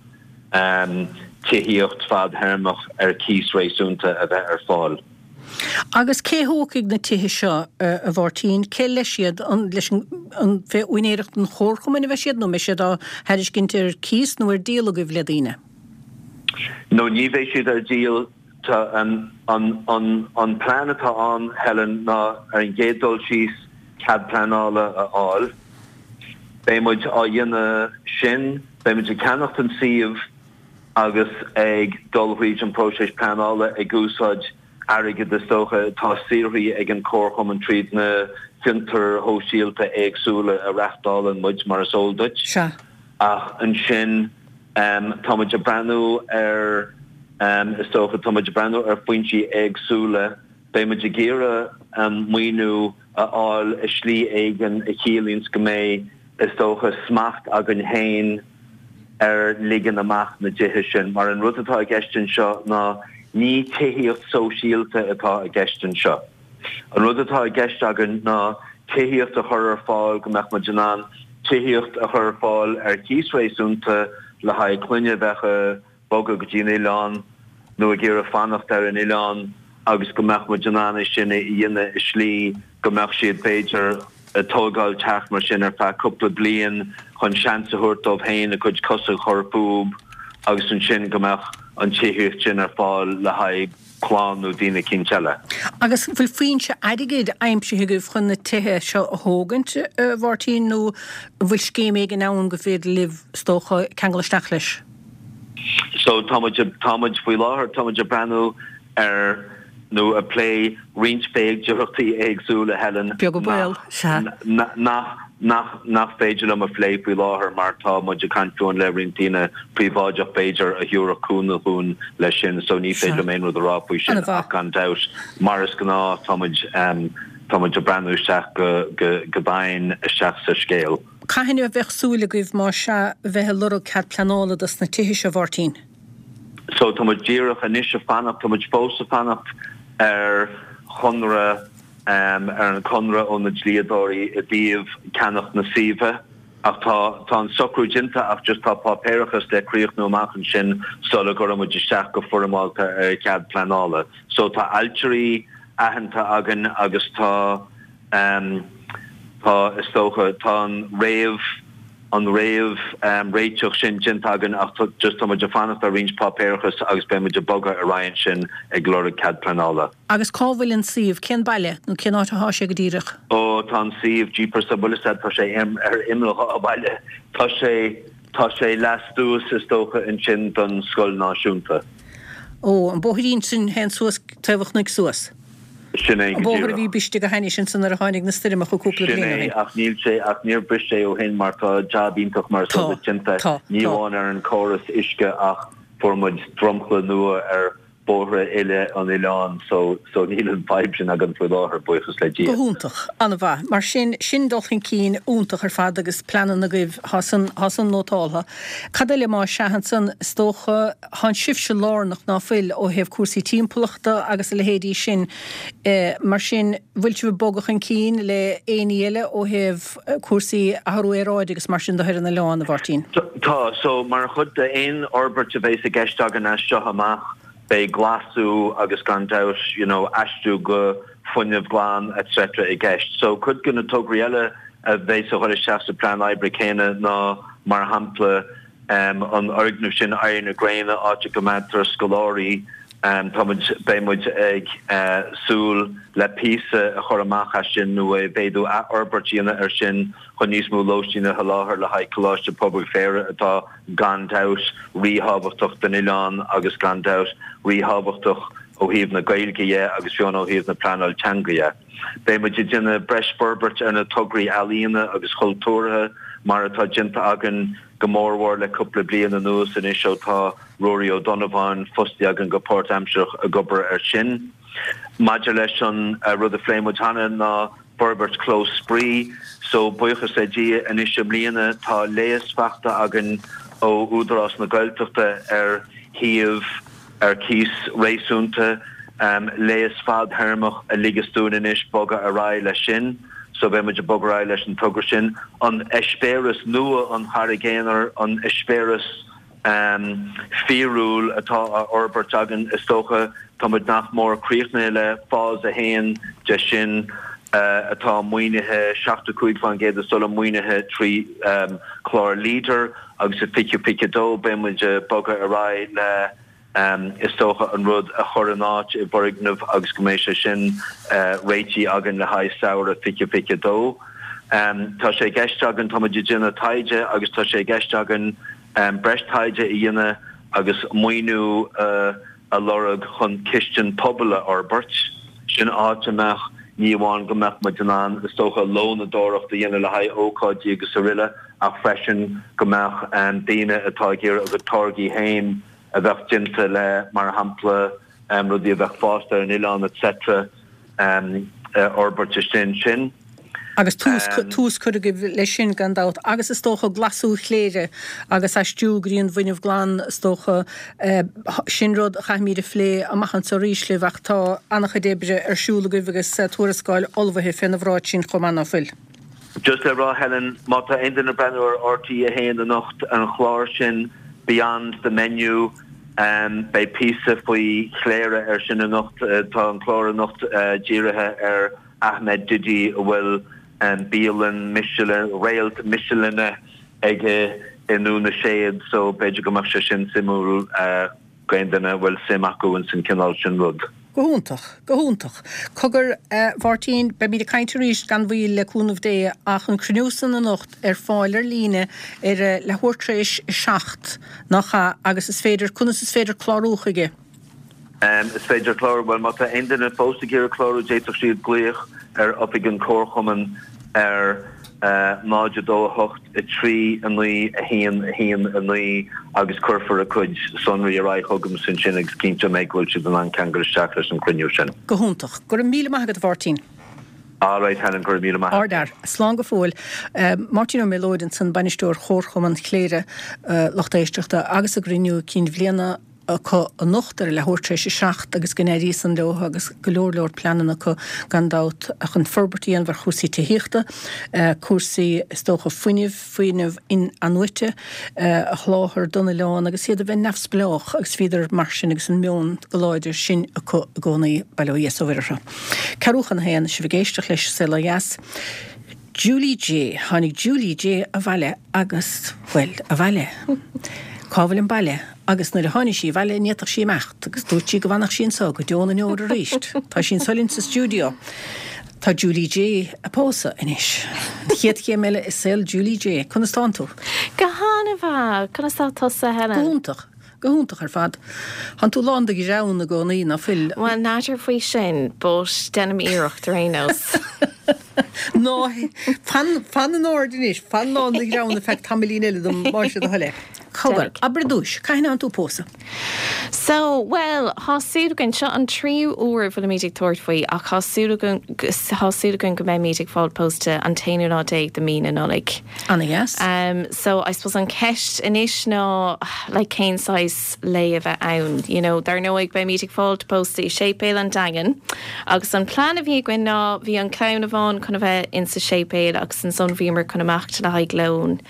tithíocht fadthéarmach ar cíos réasúnta a bheith ar fáil. Agus cé thógfaidh na tithe seo, a Mháirtín? Cé leis iad? An leis an, fé úinéireacht an Chomharchumainn a bheidh siad nó an mbeidh siad á thairiscint ar cíos nó ar díol agaibh le daoine? No, ní bheidh siad ar díol. Tá an an plean atá ann, Helen, ná ar an gcéad dul síos cead pleanála a fháil. Beidh muid á dhéanamh sin, beidh muid ag ceannacht an suíomh agus ag dul thríd an próiseas pleanála ag úsáid airgead is dócha atá saothraithe ag an Chomharchumann tríd na fiontair shóisialta éagsúla a reachtálann muid, mar is eol duit. Sea. Ach ansin tá muid ag breathnú ar, is dócha, tá muid ag breathnú ar foinsí éagsúla. Beidh muid ag iarraidh maoiniú a fháil i slí éigin a chiallaíonns go mbeidh, is dócha, smacht againn féin ar ligean amach na dtithe sin. Mar an rud atá i gceist anseo ná ní tithíocht sóisialta atá i gceist anseo. An rud atá i gceist againn ná tithíocht a chur ar fáil go mbeadh muid in ann tithíocht a chur ar fáil ar chíos réasúnta le haghaidh clainne a bheadh ag bogadh go dtí an oileán nó ag iarraidh fanacht ar an oileán agus go mbeadh muid in ann é sin a dhéanamh i slí go mbeadh siad b'fhéidir ag tógáil teach mar sin ar feadh cúpla bliain chun seans a thabhairt dóibh féin a gcuid cosa a chur fúb agus ansin go mbeadh an tithíocht sin ar fáil le haghaidh clann nó daoine eicínt eile. Agus an bhfuil foinse airgid aimsithe agaibh chun na tithe seo a thógaint, a Mháirtín, nó an bhfuil scéim éigin ann go féidir libh, is dócha, ceangal isteach leis? So tá muid, tá muid faoi láthair, tá muid ag breathnú ar nó ag plé roinnt féidearthachtaí éagsúla, Helen, Beag an baol, sea. nach, nach, nach, nach féidir liom a phlé faoi láthair mar tá muid ag caint fúinn le roinnt daoine príobháideach b'fhéidir a thabharfadh cúnamh dhúinn leis sin so ní féidir liom aon rud a rá faoi sin ach gan dabht mar is gnáth tá muid, tá muid ag breathnú isteach go, go, go domhain isteach sa scéal. Cathain a bheadh súil agaibh más ea bheith ag lorg cead pleanála dos na tithe seo, a Mháirtín? So tá muid díreach anois ag fanacht, tá muid fós ag fanacht ar chonradh, ar an chonradh ó na dlíodóirí i dtaobh ceannach na suímhe ach tá, tá an socrú déanta ach just tá páipéarachas le críochnú amach ansin sula gcuirfidh muid isteach go foirmeálta ar chead pleanála. So tá ailtirí aitheanta againn agus tá, Tá, is dócha. Tá an réamh, an réamh réiteach sin déanta againn ach just tá muid ag fanacht ar roinnt páipéarachas agus beidh muid ag bogadh ar aghaidh ansin ag lorg cead pleanála. Agus cá bhfuil an suíomh? Cén baile nó cén áit athá sé go díreach? Ó, tá an suíomh, jeepers, an bhfuil fhios a'd, tá sé ar imeall dhá bhaile. Tá sé, tá sé lastuas is dócha ansin don scoil náisiúnta. Ó, an bóithrín sin théann suas taobh an chnoic suas. Sin é An go bóthar a bhí díreach. briste go hainnis ansan nuair a tháinig na stoirmeacha cúpla Sin bliain ó é, shin. ach níl sé, ach níor bhris sé ó shin mar tá jab iontach mar is Tá, eol duit déanta, tá, ní tá. amháin ar an córas uisce ach fuair muid dromchla nua ar bhóithre uile an oileáin so, so níl an fadhb sin againn faoi láthair, buíochas le Go Dia. hiontach. An-mhaith. Mar sin, sin dul chun cinn iontach ar fad agus pleananna agaibh, thá san, thá san nótáltha. Cad eile más ea ansan, is dócha, Thánn sibhse lárnach, ná fuil, ó thaobh cúrsaí timpeallachta agus a leithéidí sin. Mar sin, bhfuil sibh ag bogadh chun cinn le éinní eile ó thaobh cúrsaí athrú aeráide agus mar sin de ar an oileán, a Mháirtín? Tá. So, mar chuid d'aon fhorbairt a bheas i gceist againn as seo amach, beidh glasú agus gan dabht, you know, aistriú go fuinneamh glan etc. i gceist. So, cuid de na tograí eile a bheas a dhul isteach sa plean oibre céanna ná, mar shampla, an fhoirgneamh sin Éirí na Gréine, áit a gcoimeádtar scoláirí. Tá muid, beidh muid ag súil le píosa a chur amach as sin nó a mhéadú athfhorbairt a dhéanamh ar sin chun níos mó lóistín a sholáthar le haghaidh Coláiste Pobail Chléire atá gan dabht ríthábhachtach don oileán agus gan dabht ríthábhachtach ó thaobh na Gaeilge dhe agus fiú ó thaobh na pleanáil teanga dhe. Beidh muid ag déanamh breis forbairt ar na tograí ealaíona agus chultúrtha mar atá déanta againn go mórmhór le cúpla bliain anuas anois ó tá Ruairí Ó Donnabháin fostaithe againn go páirtaimsearach ag obair air sin. Maidir leis an rud a phléigh muid cheana ná forbairt clós spraoi so buíochas le Dia anois i mbliana tá léas faighte againn ó Údarás na Gaeltachta ar shuíomh ar cíos réasúnta, léas fadthéarmach a ligeas dúinn anois bogadh ar aghaidh leis sin. So beidh muid ag bogadh ar aghaidh leis an togra sin. An eispéireas nua an Charraig Aonair, an eispéireas. fíorúil atá á fhorbairt againn. Is dócha, tá muid nach mór críochnaithe le phase 1 de sin atá maoinithe, 75% is dóigh liom, maoinithe trí chlár Leader agus i 2022 beidh muid ag bogadh ar aghaidh le is dócha an rud a chur in áit i bhfoirgneamh agus go mbeidh sé sin réitithe againn le haghaidh samhradh 2022. Tá sé i gceist againn, tá muid ag déanamh taighde agus tá sé i gceist againn breis taighde a dhéanamh agus maoiniú a lorg chun cistin pobail a fhorbairt. Sin áit a mbeadh, ní amháin go mbeadh muid in ann, is dócha, lónadóireacht a dhéanamh le haghaidh ócáidí agus aroile ach freisin go mbeadh daoine atá ag iarraidh a gcuid táirgí féin a bheadh déanta le, mar shampla, rudaí a bheadh fásta ar an oileán etc. a fhorbairt istigh ansin. Agus tús, tús curtha agaibh leis sin gan dabht. Agus is dócha glasú Chléire agus aistriú go dtí an bhfuinneamh glan is dócha, sin rud a chaithfimid a phlé amach anseo arís libh ach tá an-chuid oibre ar siúl agaibh agus tuarascáil ullmhaithe féna bhráid sin chomh maith ná fuil? Just le rá Helen, má tá aon duine ag breathnú ar RTÉ 1 anocht, an chlár sin Beyond the Menu, beidh píosa faoi Chléire ar sin anocht. Tá an clár anocht dírithe ar Ahmed Didi a bhfuil bialann Michelin, réalt Michelin aige i nDún na Séad so b'fhéidir go mbeadh sé sin suimiúil. D'aon duine a bhfuil suim acu ins an cineál sin rud. Go hiontach. Go hiontach. Cogar, a Mháirtín, beimid ag caint arís gan mhoill le cúnamh Dé ach an cruinniú san anocht ar fáil ar líne ar a leathuair tar éis a 7, nach ea? Agus is féidir, conas is féidir clárú chuige? Is féidir clárú, bhuel má tá aon duine fós ag iarraidh clárú d'fhéadfadh siad glaoch ar oifig an Chomharchumainn ar 0 2 8 3 9 1 1 9 agus cuirfear a gcuid sonraí ar aghaidh chugamsa ansin agus cinnteoidh mé go bhfuil siad in ann ceangal isteach leis an chruinniú sin. Go hiontach. Go raibh míle maith agat, a Mháirtín. Alright Helen, go raibh míle maith agat. Ardfhear. Slán go fóill. Máirtín Ó Méalóid ansan, Bainisteoir Chomharchumann Chléire, lucht éisteachta, agus a gcruinniú cinn bhliana. acu anocht ar a leathuair tar éis a 7 agus go n-éirí san leo agus go leor leor pleananna acu gan dabht chun forbairt a dhéanamh ar chúrsaí tithíochta, cúrsaí is dócha fuinnimh, fuinneamh in-athnuaite a sholáthar don oileán agus iad a bheith neamhspleách agus bhíodar mar sin agus an meon go láidir sin acu i gcónaí, bail ó Dhia is ó Mhuire orthu. Ceathrú chun a haon, sibh ag éisteacht leis Saol Ó Dheas. Julie Jay, Tháinig Julie Jay abhaile agus, bhuel, abhaile. Cá bhfuil an baile? Agus nuair a tháinig sí abhaile ní fhéadfadh sí imeacht agus dúirt sí go bhfanfadh sí anseo go deo na ndeor arís. Tá sí anseo linn sa stiúideo. Tá Julie Jay ag pósadh anois. An chéad chéim eile i saol Julie Jay. Conas tánn tú? Go han-mhaith. Conas tá tusa, Helen? Go hiontach. Go hiontach ar fad. Tánn tú lán de ghreann i gcónaí, ná fuil? Bhuel, n'fheadar faoi sin, but déanaim iarracht ar aon nós. Ná, fan, fan in airde anois, fan lán de ghreann ar feadh tamaillín eile dom, más é do thoil é. Cogar, abair ar dtúis, cathain a thánn tú ag pósadh? So, bhuel, thá súil againn, seo an tríú uair a bhfuilimid ag tabhairt faoi ach thá súil againn, thá súil againn go mbeimid ag fáil pósta an t-aonú lá déag de mí na Nollag. Ana-dheas. So, I suppose an ceist anois ná like cén saghas lae a bheidh ann, you know. Dar ndóigh beimid ag fáilt pósta i Séipéal an Daingin agus an plean a bhí againn ná bhí an clann amháin chun a bheith insa séipéal agus ansan bhíomar chun imeacht le haghaidh lón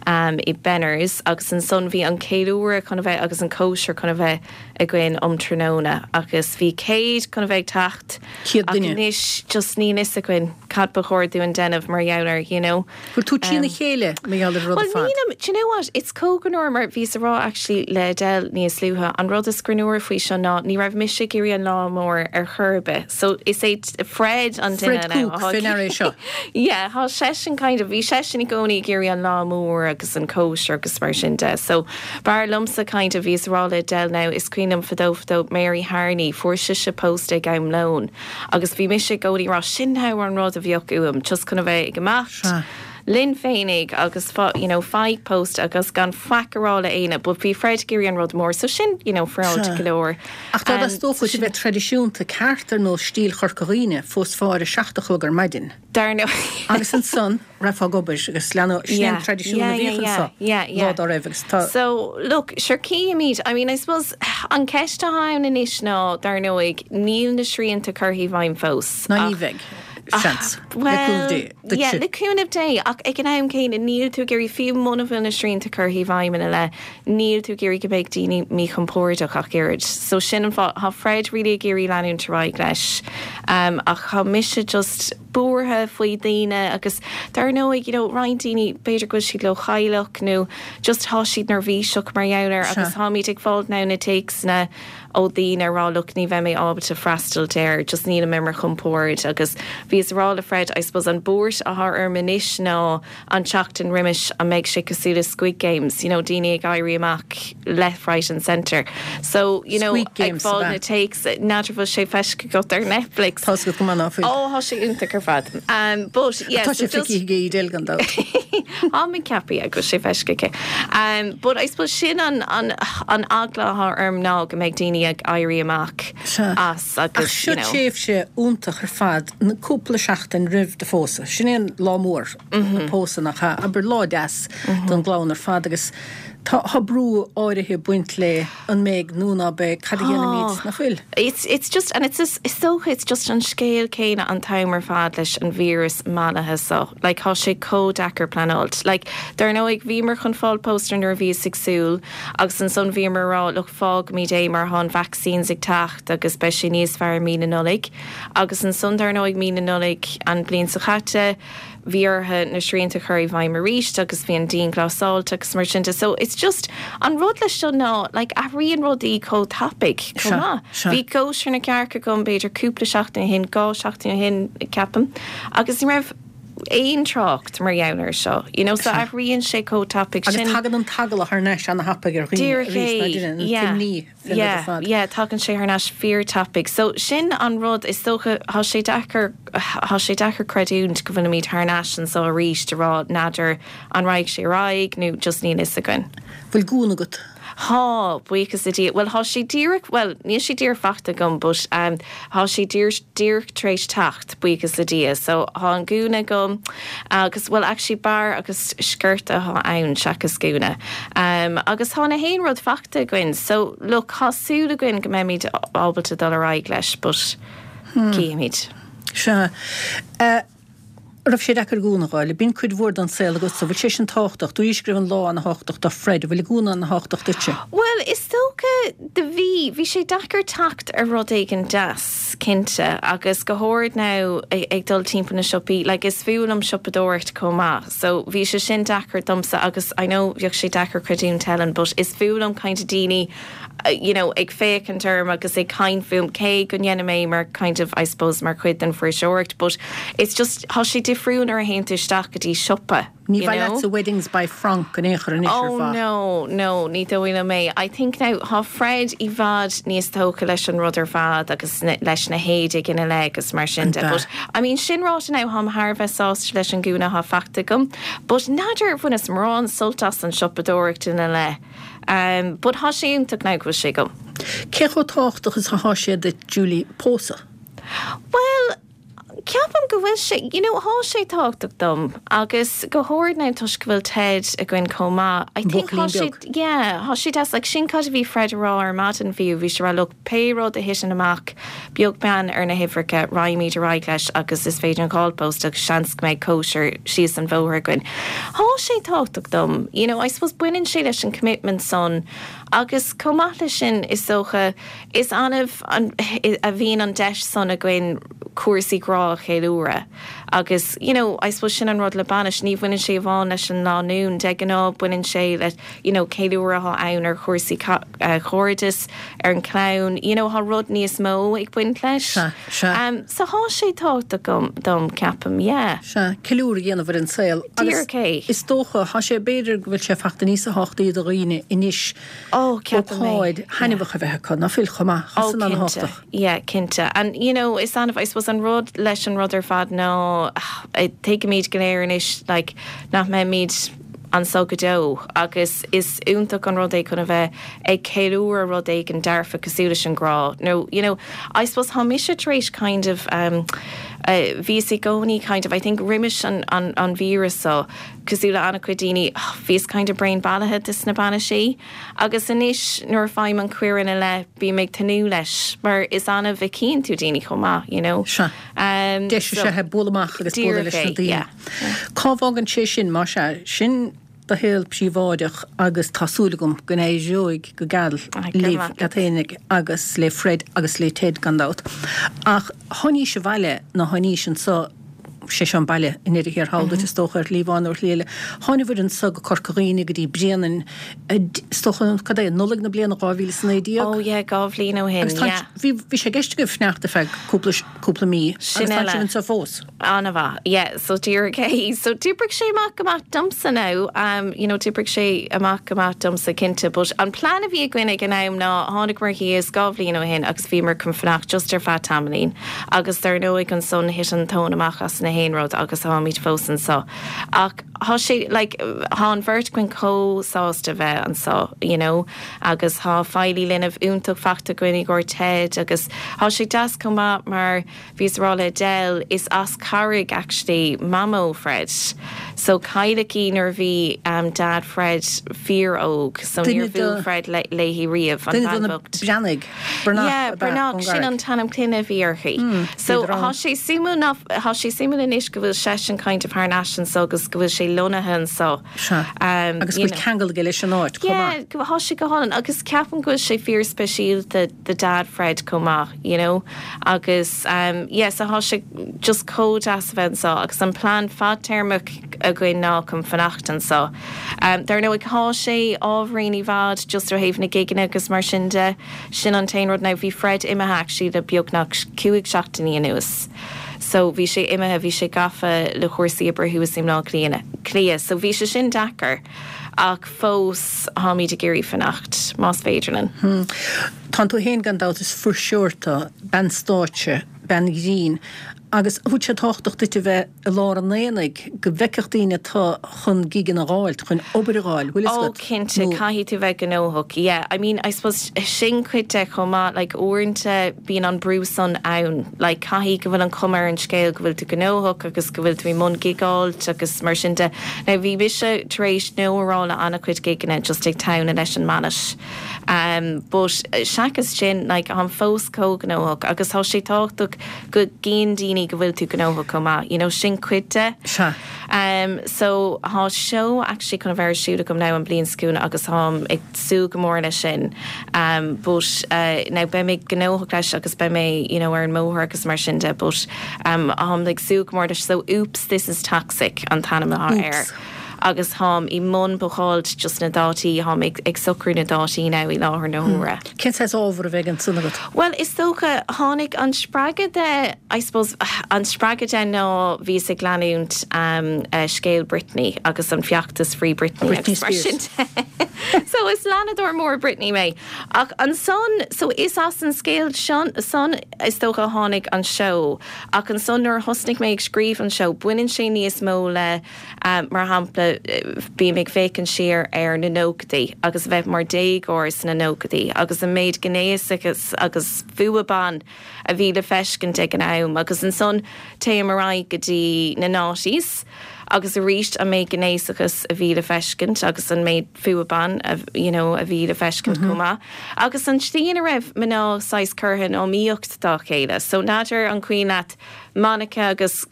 um i Benners agus ansan bhí an ceiliúradh chun a bheith agus an cóisir chun a bheith againn um tráthnóna agus bhí 100 chun a bheith ag teacht 100 ach duine. anois just níl fhios againn. cad ba chóir dúinn déanamh mar gheall air, you know. Bhfuil tú trína chéile mar gheall ar an rud ar fad? Bhuel nílim, do you know what, it's chomh greannmhar mar bhíos a rá actually le Edel níos luaithe, an rud is greannmhaire faoi seo ná ní raibh mise ag iarraidh an lá mór ar chor ar bith. So is é Fred an duine Fred Cooke faoi ndeara é seo. Yeah, thá seisean kind of, bhí seisean i gcónaí ag iarraidh an lá mór agus an cóisir agus mar sin de. So b'fhearr liomsa kind of, bhíos a rá le Edel now, is cuimhin liom fadó fadó Mary Harney, fuair sise post ag am lóin. Agus bhí mise i gcónaí ag rá, sin now an rud a bheadh uaim, just chun a bheith ag imeacht linn féinig agus you know faigh post agus gan faic a rá le éinne, but bhí Fred ag iarraidh an rud mór, so sin you know féaráilte go leor. Ach dá dteastódh uait a bheith traidisiúnta ceart ar nós stíl Chorca Dhuibhne, phósfá ar a seacht a chlog ar maidin. Dar ndóigh. Agus ansan rachfá ag obair agus leanadh, sin é an traidisiún a bhíodh anso lá dá raibh agus tá. So, look, sure cífimid, I mean, I suppose, an ceist atá ann anois ná, dar ndóigh, níl na srianta curtha i bhfeidhm fós. Ná ní bheidh, seans, le cúnamh Dé, duitse. Yeah, le cúnamh Dé, ach ag an am céanna, níl tú ag iarraidh, fiú muna bhfuil na srianta curtha i bhfeidhm ina leith, níl tú ag iarraidh go mbeidh daoine míchompordach ach oiread. So sin an fáth, tá Fred really ag iarraidh leanúint ar aghaidh leis ach tá mise just buartha faoi daoine agus dar ndóigh, you know, roinnt daoine b'fhéidir go bhfuil siad leochaileach nó just tá siad neirbhíseach mar gheall air agus táimid ag fáil now na téacsanna ó daoine ag rá look ní bheidh mé ábalta freastal air, just nílim ar mo chompord agus bhíos ag rá le Fred I suppose an buairt atá orm anois ná an tseachtain roimis an mbeidh sé cosúil le Squid Games, you know, daoine ag éirí amach left, right and centre. So, you know, Squid ag Games, fáil ab na ea? téacs, n'fheadar bhfuil sé feiscithe agat ar Netflix. Tá's agat go maith ná fuil. Ó, thá sé iontach ar fad. Um, but, yeah, Tá so sé just... feicthe ag Edel gan dabht. Tá mé ag ceapadh, yeah, go bhfuil sé feiscithe aici. Um, but I suppose sin an, an, an eagla atá orm ná go mbeidh daoine ag éirí amach Sea. as Ach agus, seo you know. tréimhse iontach ar fad, na cúpla seachtain roimh do phósadh. Sin é an lá mór. an pósadh nach ea? Abair lá deas don gclann ar fad agus tá tá brú áirithe ag baint le an mbeidh nó ná beidh, cad a dhéanfaimid, nach bhfuil? It's it's just and it's is dócha it's just an scéal céanna an t-am ar fad leis an víreas mallaithe seo. Like thá sé chomh deacair pleanáilt. Like dar ndóigh bhíomar chun fáil pósta nuair a bhíos ag súil agus ansan bhíomar ag rá look fágfaimid é mar thá an vaccines ag teacht agus beidh sé níos fearr i mí na Nollaig. Agus ansan dar ndóigh mí na Nollaig an bliain seo chaite, bhí orthu na srianta a chur i bhfeidhm arís agus bhí an dianghlasáilt agus mar sin de. So it's just, an rud leis seo ná like athraíonn rudaí chomh tapaidh chomh maith. Bhí cóisir na gcearc agam b'fhéidir cúpla seachtain ó shin, 2 seachtain ó shin ceapaim, agus ní raibh aon trácht mar gheall air seo, you know, so athraíonn sé chomh tapaidh sin. Agus tagann an t-eagla thar n-ais ana-thapaidh ar dhaoine arís, ná deineann, an t-imní. Yeah, yeah, tagann sé thar n-ais fíor-tapaidh. So, sin an rud, is dócha, thá sé deacair, thá sé deacair creidiúint go bhfuilimid thar n-ais anso arís a rá n'fheadar an raghaidh sé ar aghaidh nó just níl fhios againn. Bhfuil gúna agat? Thá, buíochas le Dia. Bhuel, thá sé díreach, bhuel, níl sé díreach fachta agam but ehm, thá sé díreach, díreach tar éis teacht, buíochas le Dia. So, thá an gúna agam agus, bhuel, actually barr agus sciorta athá ann seachas gúna. Agus thá na haon rud fachta againn so look thá súil againn go mbeimid ábalta dul ar aghaidh leis but cífimid. Sea. Raibh sé deacair gúna a fháil? Bíonn cuid mhór den saol agatsa. Bhfuil sé sin tábhachtach? Dúraís go raibh an lá ana-thábhachtach do Fred. Bhfuil an gúna ana-thábhachtach duitse? Bhuel, is dócha do bhí. Bhí sé deacair teacht ar rud éigin deas, cinnte, agus go háirid now ag dul timpeall na siopaí. Like is fuath liom siopadóireacht chomh maith. So bhí sé sin deacair domsa agus I know bheadh sé deacair creidiúint Helen but is fuath liom kind of daoine you know ag féachaint orm agus ag caint fúm cé go ndéanaim é mar kind of I suppose mar chuid den fuirseoireacht but it's just thá sé difriúil nuair a théann tú isteach go dtí siopa Ní you mhaith know. leatsa Weddings by Frank in aon chor anois ar Oh mhaith? no, no, ní dóigh liom é. I think now thá Fred i bhfad níos tógtha leis an rud ar fad agus leis na héadaigh ina leith agus mar sin de. But I mean sin ráite now tháim thar a bheith sásta leis an gúna athá fachta agam. But n'fheadar ar bhaineas mórán sult as an siopadóireacht ina leith. Um but thá sé iontach now go bhfuil sé agam. Cé chomh tábhachtach is athá sé duit Julie pósadh? Bhuel, Ceapaim go bhfuil sé, you know, thá sé tábhachtach dom agus go háirid now toisc go bhfuil Ted againn chomh maith. I think thá Buachaillín sé, beag. yeah, thá sé deas, like sin cad a bhí Fred a rá ar maidin fiú, bhí sé a rá look, pé rud a thiteann amach, beag beann ar na huimhreacha, raghaimid ar aghaidh leis agus is féidir linn fáil pósta agus seans go mbeidh cóisir síos an bhóthar againn. Thá sé tábhachtach dom, you know, I suppose baineann sé leis an commitment san agus chomh maith leis sin is dócha, Is annamh a bhíonn an deis san againn cúrsaí grá. grá a cheiliúradh agus you know I suppose sin an rud le bainis, ní bhaineann sé amháin leis an lánúin, de ghnáth baineann sé le you know ceiliúradh atá ann ar chúrsaí cairdis, ar an chlann, you know thá rud níos mó ag baint leis. Sea, sea. So thá sé tábhachtach dom, ceapaim, yeah. Sea, ceiliúradh a dhéanamh ar an saol. Díreach é. Agus is dócha, thá sé, b'fhéidir go bhfuil sé fachta níosa thábhachtaí do dhaoine anois Oh, ceapaim é. ócáid thaitneamhach a bheith acu, ná fuil, chomh maith? Thá Oh, san cinnte. an-thábhachtach. Yeah, cinnte. And, you know, is annamh, I suppose, an rud leis an rud ar fad ná, tuigimid go léir anois, like, nach mbeimid anso go deo agus is iontach an rud é chun a bheith ag ceiliúradh rud éigin dearfach cosúil leis an grá nó, you know, I suppose thá mise tar éis kind of, um, bhíos i gcónaí kind of, I think roimis an, an, an víreas so, cosúil le an-chuid daoine, bhíos kind of bréan bailithe de sna bainisí agus anois nuair a faighim an cuireadh ina leith bím ag tnúth leis mar is annamh a chíonn tú daoine chomh maith, you know. Sea. Um, Deis is so, ea é bualadh amach agus bualadh díreach leis na é, daoine. yeah. Cá bhfágann sé sin, más ea? Sin do shaol príobháideach agus tá súil agam go n-éireoidh go geal libh, leat fhéinig agus le Fred agus le Ted gan dabht. Ach tháinís abhaile nó tháinís anso, sé seo an baile i ndeireadh thiar thall duit is dócha, ar shlí amháin nó ar shlí eile. Tháinabhair anso go Corca Dhuibhne go dtí Bréanainn, is dócha, cad é, Nollaig na bliana 2019? Oh yeah, 2 bhliain ó shin, Agus tá, yeah. bhí, bhí sé i gceist agaibh fanacht ar feadh cúpla, cúpla mí agus Sin tá eile. sibh anso fós. An-mhaith, yeah, so díreach é. So d'oibrigh sé amach go maith domsa now, um, you know, d'oibrigh sé amach go maith domsa cinnte, but an plean a bhí againn ag an am ná tháinigeamar thíos 2 bhliain ó shin agus bhíomar chun fanacht just ar feadh tamaillín agus dar ndóigh ansan thit an tóin amach as na haon rud agus táimid fós anso. Ach thá sé, like, thá an bheirt againn chomh sásta bheith anso, you know, agus thá feighlí linbh iontach fachta againn i gcomhair Ted agus thá sé deas chomh maith mar Bhíos a rá le Edel, is as Carraig actually Mamó Fred. So cailleadh í nuair a bhí Dad Fred fíor óg so Duine níor bhuail de. Fred léi riamh, an Duine de bhean na bhocht. Breathnaigh, Breathnach Yeah, ab ea, Breathnach, ón sin gCarraig. an t-ainm clainne a bhí uirthi. So Bhíodar thá ann. sé suimiúil ná, thá sé suimiúil anois go bhfuil seisean kind of thar n-ais anso agus go bhfuil sé lonnaithe anso. Sea. Agus go You bhfuil know. ceangal aige leis an áit chomh Yeah, maith. go, thá sé go hálainn agus ceapaim go bhfuil sé fíor speisialta do Dad Fred chomh maith, you know agus um yeah so thá sé just chomh deas a bheith anso agus an plean fadtéarmach againn ná chun fanacht anso. Um dar ndóigh thá sé ábhairín i bhfad just ó thaobh na gigeanna agus mar sin de, sin an t-aon rud now bhí Fred imithe actually le beagnach 5 seachtainí anuas so bhí sé imithe, bhí sé gafa le cúrsaí oibre thuas i mBleá Cliath so bhí sé sin deacair ach fós táimid ag iarraidh fanacht, más féidir linn. Tánn tú féin gan dabht, is fuirseoir tú, bean stáitse, bean ghrinn, agus an bhfuil sé tábhachtach duit a bheith i lár an aonaigh, go bhfeicfeadh daoine tú chun gigeanna a dh'fháilt, chun obair a dh'fháil, bhfuil fhios Oh agat? cinnte, Nó. caithfidh tú bheith gnóthach, yeah. I mean, I suppose sin cuid de chomh maith, like uaireanta bíonn an brú san ann, like caithfidh go bhfuil an chuma ar an scéal go bhfuil tú gnóthach agus go bhfuil tú i mbun gigeáilt agus mar sin de. Now bhí mise tar éis no a rá le an-chuid gigeanna just ag teannadh leis an mbainis. Um but seachas sin like táim fós chomh gnóthach agus tá sé tábhachtach go gcíonn daoine go bhfuil tú gnóthach chomh maith, you know sin cuid de. Sea. Um so thá seó actually chun a bheith ar siúl agam now an bliain seo chugainn agus táim ag súil go mór leis sin. Um but uh now beidh mé gnóthach leis agus beidh mé you know ar an mbóthar agus mar sin de but um táim ag súil go mór leis so Oops This Is Toxic an t-ainm atá air. Oops. Agus táim i mbun bookáilt just na dátaí, táim ag ag socrú na dátaí now i láthair na huaire. Cén saghas ábhar a bheidh ansan agat? Bhuel, is dócha, tháinig an spreagadh de, I suppose, an spreagadh de ná bhíos ag leanúint scéal Britney agus an feachtas Free Britney Britney agus mar sin Spears. de. So is leanadóir mór Britney mé. Ach ansan, so is as an scéal san is dócha a tháinig an seó. Ach ansan nuair a thosnaigh mé ag scríobh an seó, baineann sé níos mó le, Mar shampla, bím ag féachaint siar ar na nóchaidí agus a bheith mar déagóir sna nóchaidí agus an méid gnéasachas agus fuath ban a bhí le feiscint ag an am agus ansan téim ar aghaidh go dtí na noughties. Agus arís an méid gnéasachas a bhí le feiscint agus an méid fuath ban a you know a bhí le feiscint chomh maith. Agus an tslí ina raibh mná saghas curtha in iomaíocht dá chéile. So n'fheadar an cuimhin leat Monica agus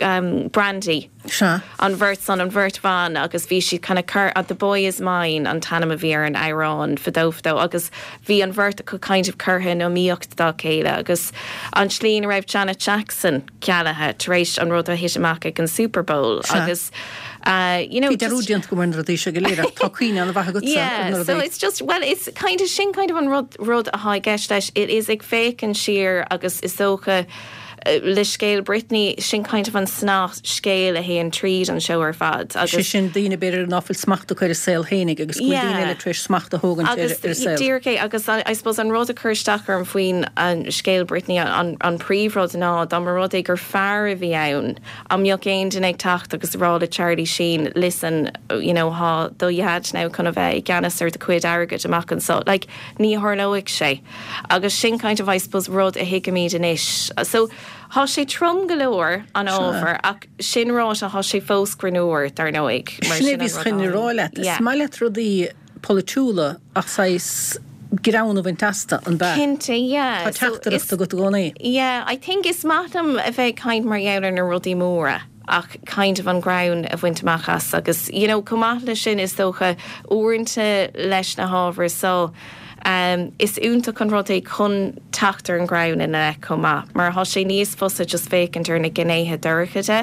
Brandy? Sea. An bheirt san, an bheirt bhan agus bhí siad kind of cur, The Boy Is Mine an t-ainm a bhí ar an amhrán fadó fadó agus bhí an bheirt acu kind of curtha in iomaíocht dá chéile agus an tslí ina raibh Janet Jackson cealaithe tar éis an rud a thit amach ag an Super Bowl Sea. agus you know Bhí dearúd déanta agam ar na rudaí seo go léir ach tá cuimhne an-mhaith agatsa ar na Yeah, so rudaí. it's just, well it's kind of, sin kind of an rud, rud athá i gceist leis, it is ag féachaint siar agus is dócha le scéal Britney, sin kind of an snáth scéil a théann tríd an seó ar fad Sé agus. sin, daoine b'fhéidir ná fuil smacht acu ar a saol fhéinig agus go bhfuil daoine Yeah. eile tar éis smacht a thógaint ar Agus ar a saol. díreach é, agus I suppose an rud a chuir isteach orm faoin scéal Britney, an an príomhrud ná dá mba rud é gur fear a bhí ann, an mbeadh aon duine ag teacht agus a rá le Charlie Sheen, listen, you know, thá do dhaid now chun a bheith i gceannas ar do chuid airgid amach anso. Like, ní tharlóidh sé. Agus sin kind of I suppose rud a thuigimid anois. So thá sé trom go leor, an ábhar, ach sin ráite thá sé fós greannmhar, dar ndóigh, mar Sin é a bhíos chun a rá leat. Is maith leat rudaí polaitiúla ach saghas greann a bhaint astu, an b'ea? Cinnte, yeah. Tá teachtaireacht agat i gcónaí. Yeah, I think is maith liom a bheith ag caint mar gheall ar na rudaí móra. ach kind of an greann a bhaint amach as agus you know chomh maith leis sin is dócha uaireanta leis na hábhair so um is iontach an rud é chun teacht ar an ghreann ina leith chomh maith mar thá sé níos fusa just féachaint ar na gnéithe dorcha de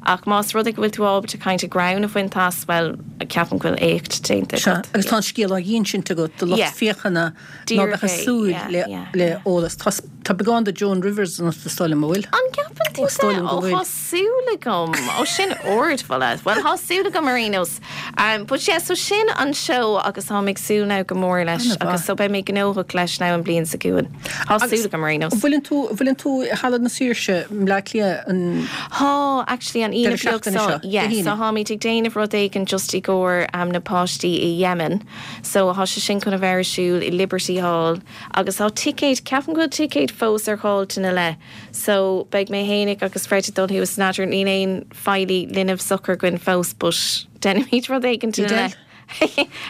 ach más rud é go bhfuil tú ábalta kind of greann a bhaint as bhuel ceapaim go bhfuil éacht déanta Sea, agat. agus tá an scéal á dh'insint agat do lucht Yeah. féachana ná Díreach beadh ag é, súil yeah, le yeah, le yeah. eolas. Tá Tá beagán de Joan Rivers ionat is dóigh liom, an bhfuil? An gceapann tú Is dóigh liom Ó go bhfuil. thá súil agam. Ó sin ardmholadh. Bhuel thá súil agam ar aon nós. Um, but yeah, so sin an seó agus táim ag súil now go mór leis An-mhaith. agus so beidh mé gnóthach leis now an bliain seo chugainn. Thá Agus súil agam ar aon nós. bhfuileann tú, bhfuileann tú i Halla na Saoirse i mBleá Cliath an Thá, actually an Aoine deireadh beag seachtaine seo. seo, Dé Yeah, so hAoine? tháimid ag déanamh rud éigin just i gcomhair um, na páistí i Yemen. So thá sé sin chun a bheith ar siúl i Liberty Hall. Agus tá ticéid, ceapaim go bhfuil ticéid fós ar dhá punt ina leith. So, beidh mé fhéinig agus Fred ag dul thuas, n'fheadar, níl aon feighlí linbh socair againn fós but déanfaimid rud éigin ina Edel? leith.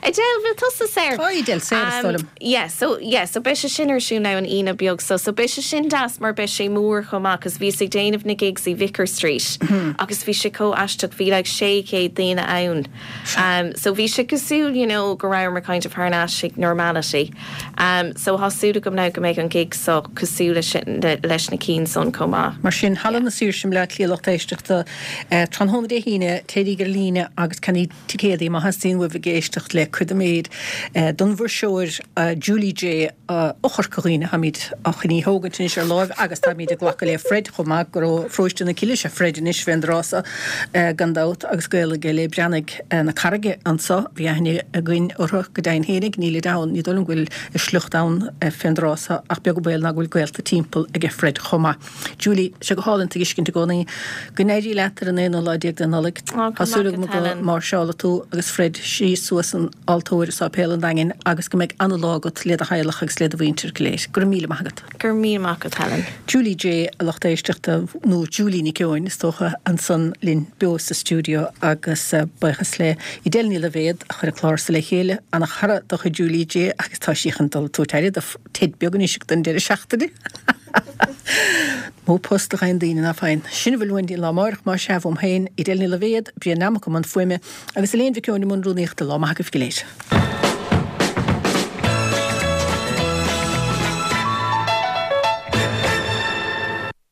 Edel, bhfuil tusa saor? Tá Edel saor, is dóigh liom. Yeah, so, yeah, so beidh sé sin ar siúl now an Aoine beag so, so beidh sé sin deas mar beidh sé mór chomh maith cos bhíos ag déanamh na gigs i Vicar Street agus bhí sé chomh aisteach, bhí like 600 daoine ann. So bhí sé cosúil, you know, go rabhamar kind of thar n-ais ag normality. So thá súil agam now go mbeidh an gig so cosúil leis sin, leis na cinn san chomh maith. Mar sin, Halla na Saoirse i mBleá Cliath lucht éisteachta, tráthnóna Dé hAoine, téiríg ar líne agus ceannaíg ticéadaí má theastaíonn uaibh ag éisteacht le cuid den méid don bhfuirseoir Julie Jay ó Chorca Dhuibhne. Táimid chun í a thógaint anois ar láimh agus táimid ag glacadh le Fred chomh maith gur ó pharóiste na Cille. Sé Fred anois fén dtráth so gan dabht agus gaol aige le Breathnaigh na Carraige anso. Bhí aithne againn orthu go deimhin fhéinig. Nílid ann, ní dóigh liom go bhfuil a sliocht ann fén dtráth so ach beag an baol ná go bhfuil gaolta timpeall aige Fred chomh maith. Julie, sé go hálainn tú a fheiscint i gcónaí. Go n-éirí leat ar an aonú lá déag de Nollaig. Tá súil agam go máirseálfaidh tú agus Fred síos suas an altóir i Sáipéal an Daingin agus go mbeidh ana-lá agat le do theaghlach agus le do mhuintir go léir. Go raibh míle maith agat. Go raibh míle maith agat, Helen. Julie Jay, a lucht éisteachta, nó Julie Nic Eoin, is dócha, ansan linn beo sa stiúideo agus buíochas le Edel Ní Loibhéad a chuir an clár so le chéile, ana-chara de chuid Julie Jay agus tá sí chun dul ag tabhairt aire do Ted beag anois don deireadh seachtaine. Mó post a gheibheann daoine ná faigheann. Sin a bhfuil uainn go dtí an lá amáireach, más ea, uaim féin, Edel Ní Loibhéad, Brian Nammock i mbun fuaime, agus Elaine Mhic Eoin i mbun rúnaíochta. Lá maith agaibh go léir.